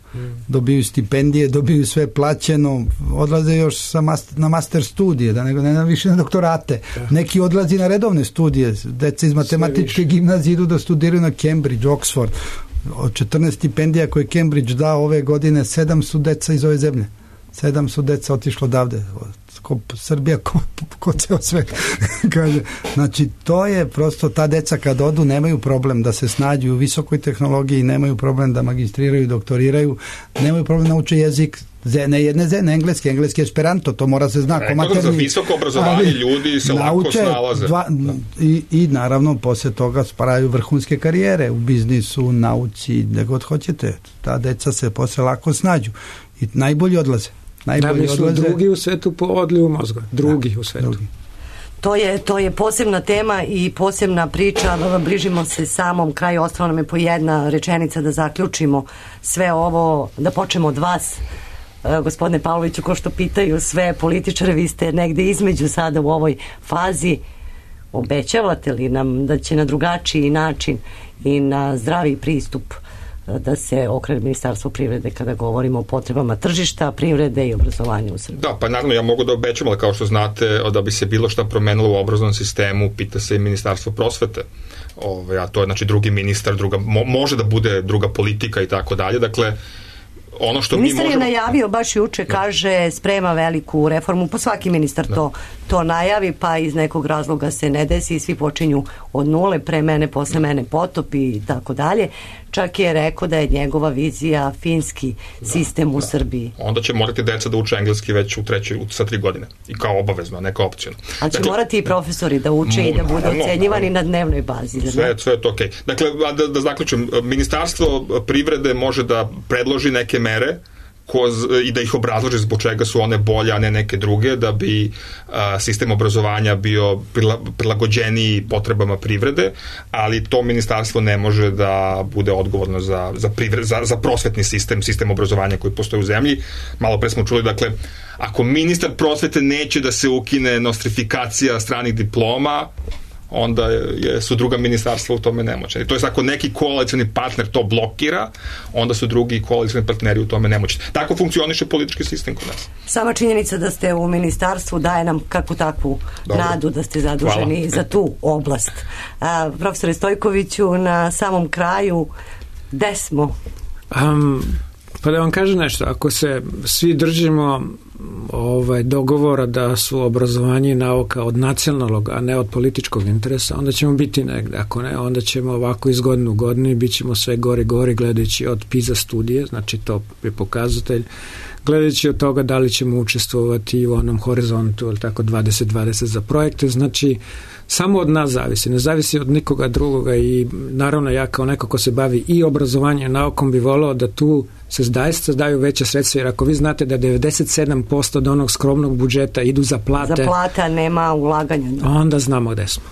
dobiju stipendije, dobiju sve plaćeno, odlaze još na master studije, da nego ne više na doktorate. Neki odlazi na redovne studije, deca iz matematičke gimnazije idu da studiraju na Cambridge, Oxford. Od 14 stipendija koje Cambridge dao ove godine, 7 su deca iz ove zemlje. 7 su deca otišlo odavde. Srbija ko ceo svet. Znači, to je prosto, ta deca kad odu nemaju problem da se snađu u visokoj tehnologiji, nemaju problem da magistriraju i doktoriraju, nemaju problem da nauče jezik, ne engleski esperanto, to mora se zna. Za visoko obrazovanje ljudi se lako snalaze. I naravno, posle toga spravaju vrhunske karijere u biznisu, nauci, gde god hoćete. Ta deca se posle lako snađu i najbolji odlaze. Drugi u svetu po odlivu mozga. Drugi u svetu. To je posebna tema i posebna priča. Bližimo se samom kraju. Ostalo nam je po jedna rečenica da zaključimo sve ovo, da počnemo od vas, gospodine Pavloviću, ko što pitaju sve političare, vi ste negde između sada u ovoj fazi. Obećavate li nam da će na drugačiji način i na zdravi pristup da se okrene Ministarstvo privrede kada govorimo o potrebama tržišta, privrede i obrazovanja u Srbiji? Da, pa naravno ja mogu da obećam, ali kao što znate, da bi se bilo šta promenilo u obrazovnom sistemu, pita se i Ministarstvo prosvete. A to je znači drugi ministar, može da bude druga politika i tako dalje. Dakle, ono što ministar je najavio baš juče, kaže sprema veliku reformu, pa svaki ministar to najavi, pa iz nekog razloga se ne desi i svi počinju od nule, pre mene, posle mene potop i tako dalje. Čak je rekao da je njegova vizija finski sistem u Srbiji. Onda će morati deca da uče engleski već sa 3 godine i kao obavezno, ne kao opcijno. Ali će morati i profesori da uče i da budu ocenjivani na dnevnoj bazi. Sve je to okej. Dakle, da zaključim, Ministarstvo privrede može da predloži neke mere i da ih obrazloži zbog čega su one bolje, a ne neke druge, da bi sistem obrazovanja bio prilagođeniji potrebama privrede, ali to ministarstvo ne može da bude odgovorno za prosvetni sistem obrazovanja koji postoji u zemlji. Malo pre smo čuli, dakle, ako ministar prosvete neće da se ukine nostrifikacija stranih diploma, onda su druga ministarstva u tome nemoćni. To je ako neki koalicioni partner to blokira, onda su drugi koalicioni partneri u tome nemoćni. Tako funkcioniše politički sistem kod nas. Sama činjenica da ste u ministarstvu daje nam kakvu takvu nadu da ste zaduženi za tu oblast. Profesore Stojkoviću, na samom kraju, gde smo? Pa da vam kažem nešto, ako se svi držimo dogovora da su obrazovanje i nauka od nacionalnog, a ne od političkog interesa, onda ćemo biti negde. Ako ne, onda ćemo ovako iz godine u godinu i bit ćemo sve gori gledajući od PISA studije, znači to je pokazatelj, gledajući od toga da li ćemo učestvovati u onom horizontu, ili tako 2020 za projekte, znači samo od nas zavisi, ne zavisi od nikoga drugoga i naravno ja kao neko ko se bavi i obrazovanjem i naukom bi volao da tu se daju veće sredstva, jer ako vi znate da 97% od onog skromnog budžeta idu za plate. Za plate, nema ulaganja. Onda znamo gde smo.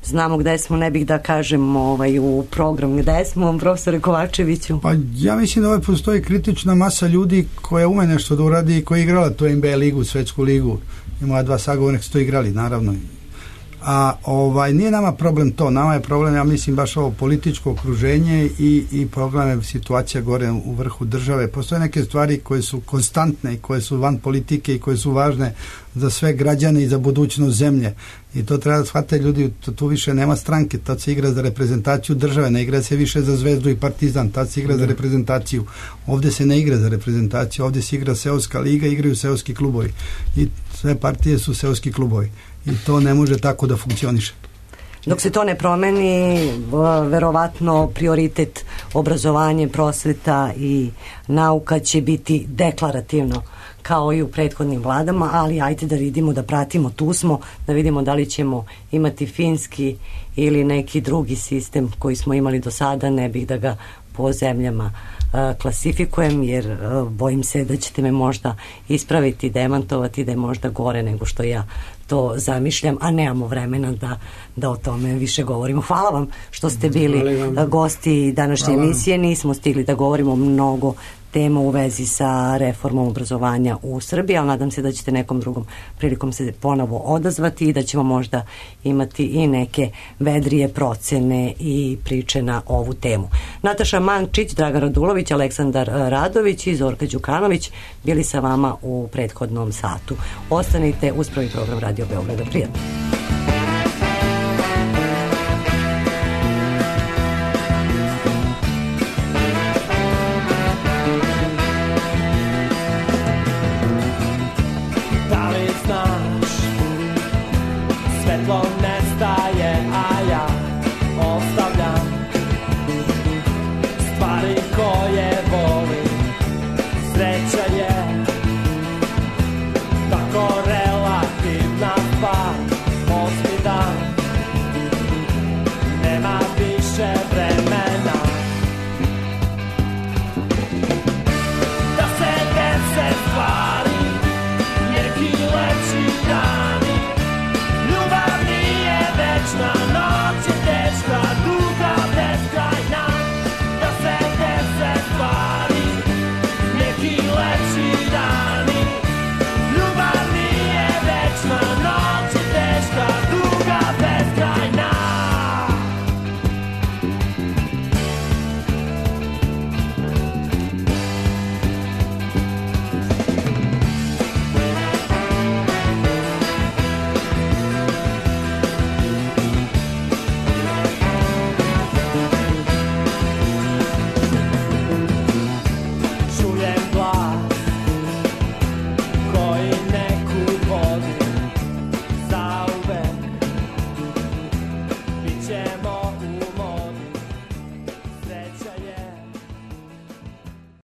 Znamo gde smo, ne bih da kažem u program gde smo, profesore Kovačeviću. Pa ja mislim da postoji kritična masa ljudi koja ume nešto da uradi i koja je igrala tu NBA ligu, svetsku ligu. I moja 2 sagovornika su to igrali, naravno. A nije nama problem to, nama je problem, ja mislim, baš ovo političko okruženje i problem je situacija gore u vrhu države. Postoje neke stvari koje su konstantne i koje su van politike i koje su važne za sve građane i za budućnost zemlje. I to treba da shvatiti ljudi, tu više nema stranke, tad se igra za reprezentaciju države, ne igra se više za Zvezdu i Partizan, tad se igra za reprezentaciju. Ovdje se ne igra za reprezentaciju, ovdje se igra seoska liga, igraju seoski klubovi. I sve partije su seoski klubovi. I to ne može tako da funkcioniše. Dok se to ne promeni, verovatno prioritet obrazovanje, prosveta i nauka će biti deklarativno kao i u prethodnim vladama, ali ajde da vidimo, da pratimo, tu smo, da vidimo da li ćemo imati finski ili neki drugi sistem koji smo imali do sada. Ne bih da ga po zemljama klasifikujem, jer bojim se da ćete me možda ispraviti, demantovati, da je možda gore nego što ja to zamišljam, a nemamo vremena da o tome više govorimo. Hvala vam što ste bili gosti današnje emisije. Nismo stigli da govorimo mnogo tema u vezi sa reformom obrazovanja u Srbiji, ali nadam se da ćete nekom drugom prilikom se ponovo odazvati i da ćemo možda imati i neke vedrije procene i priče na ovu temu. Nataša Mančić, Dragan Radulović, Aleksandar Radović i Zorka Đukanović bili sa vama u prethodnom satu. Ostanite uz prvi program Radio Beograda. Prijatno. Svetlo ne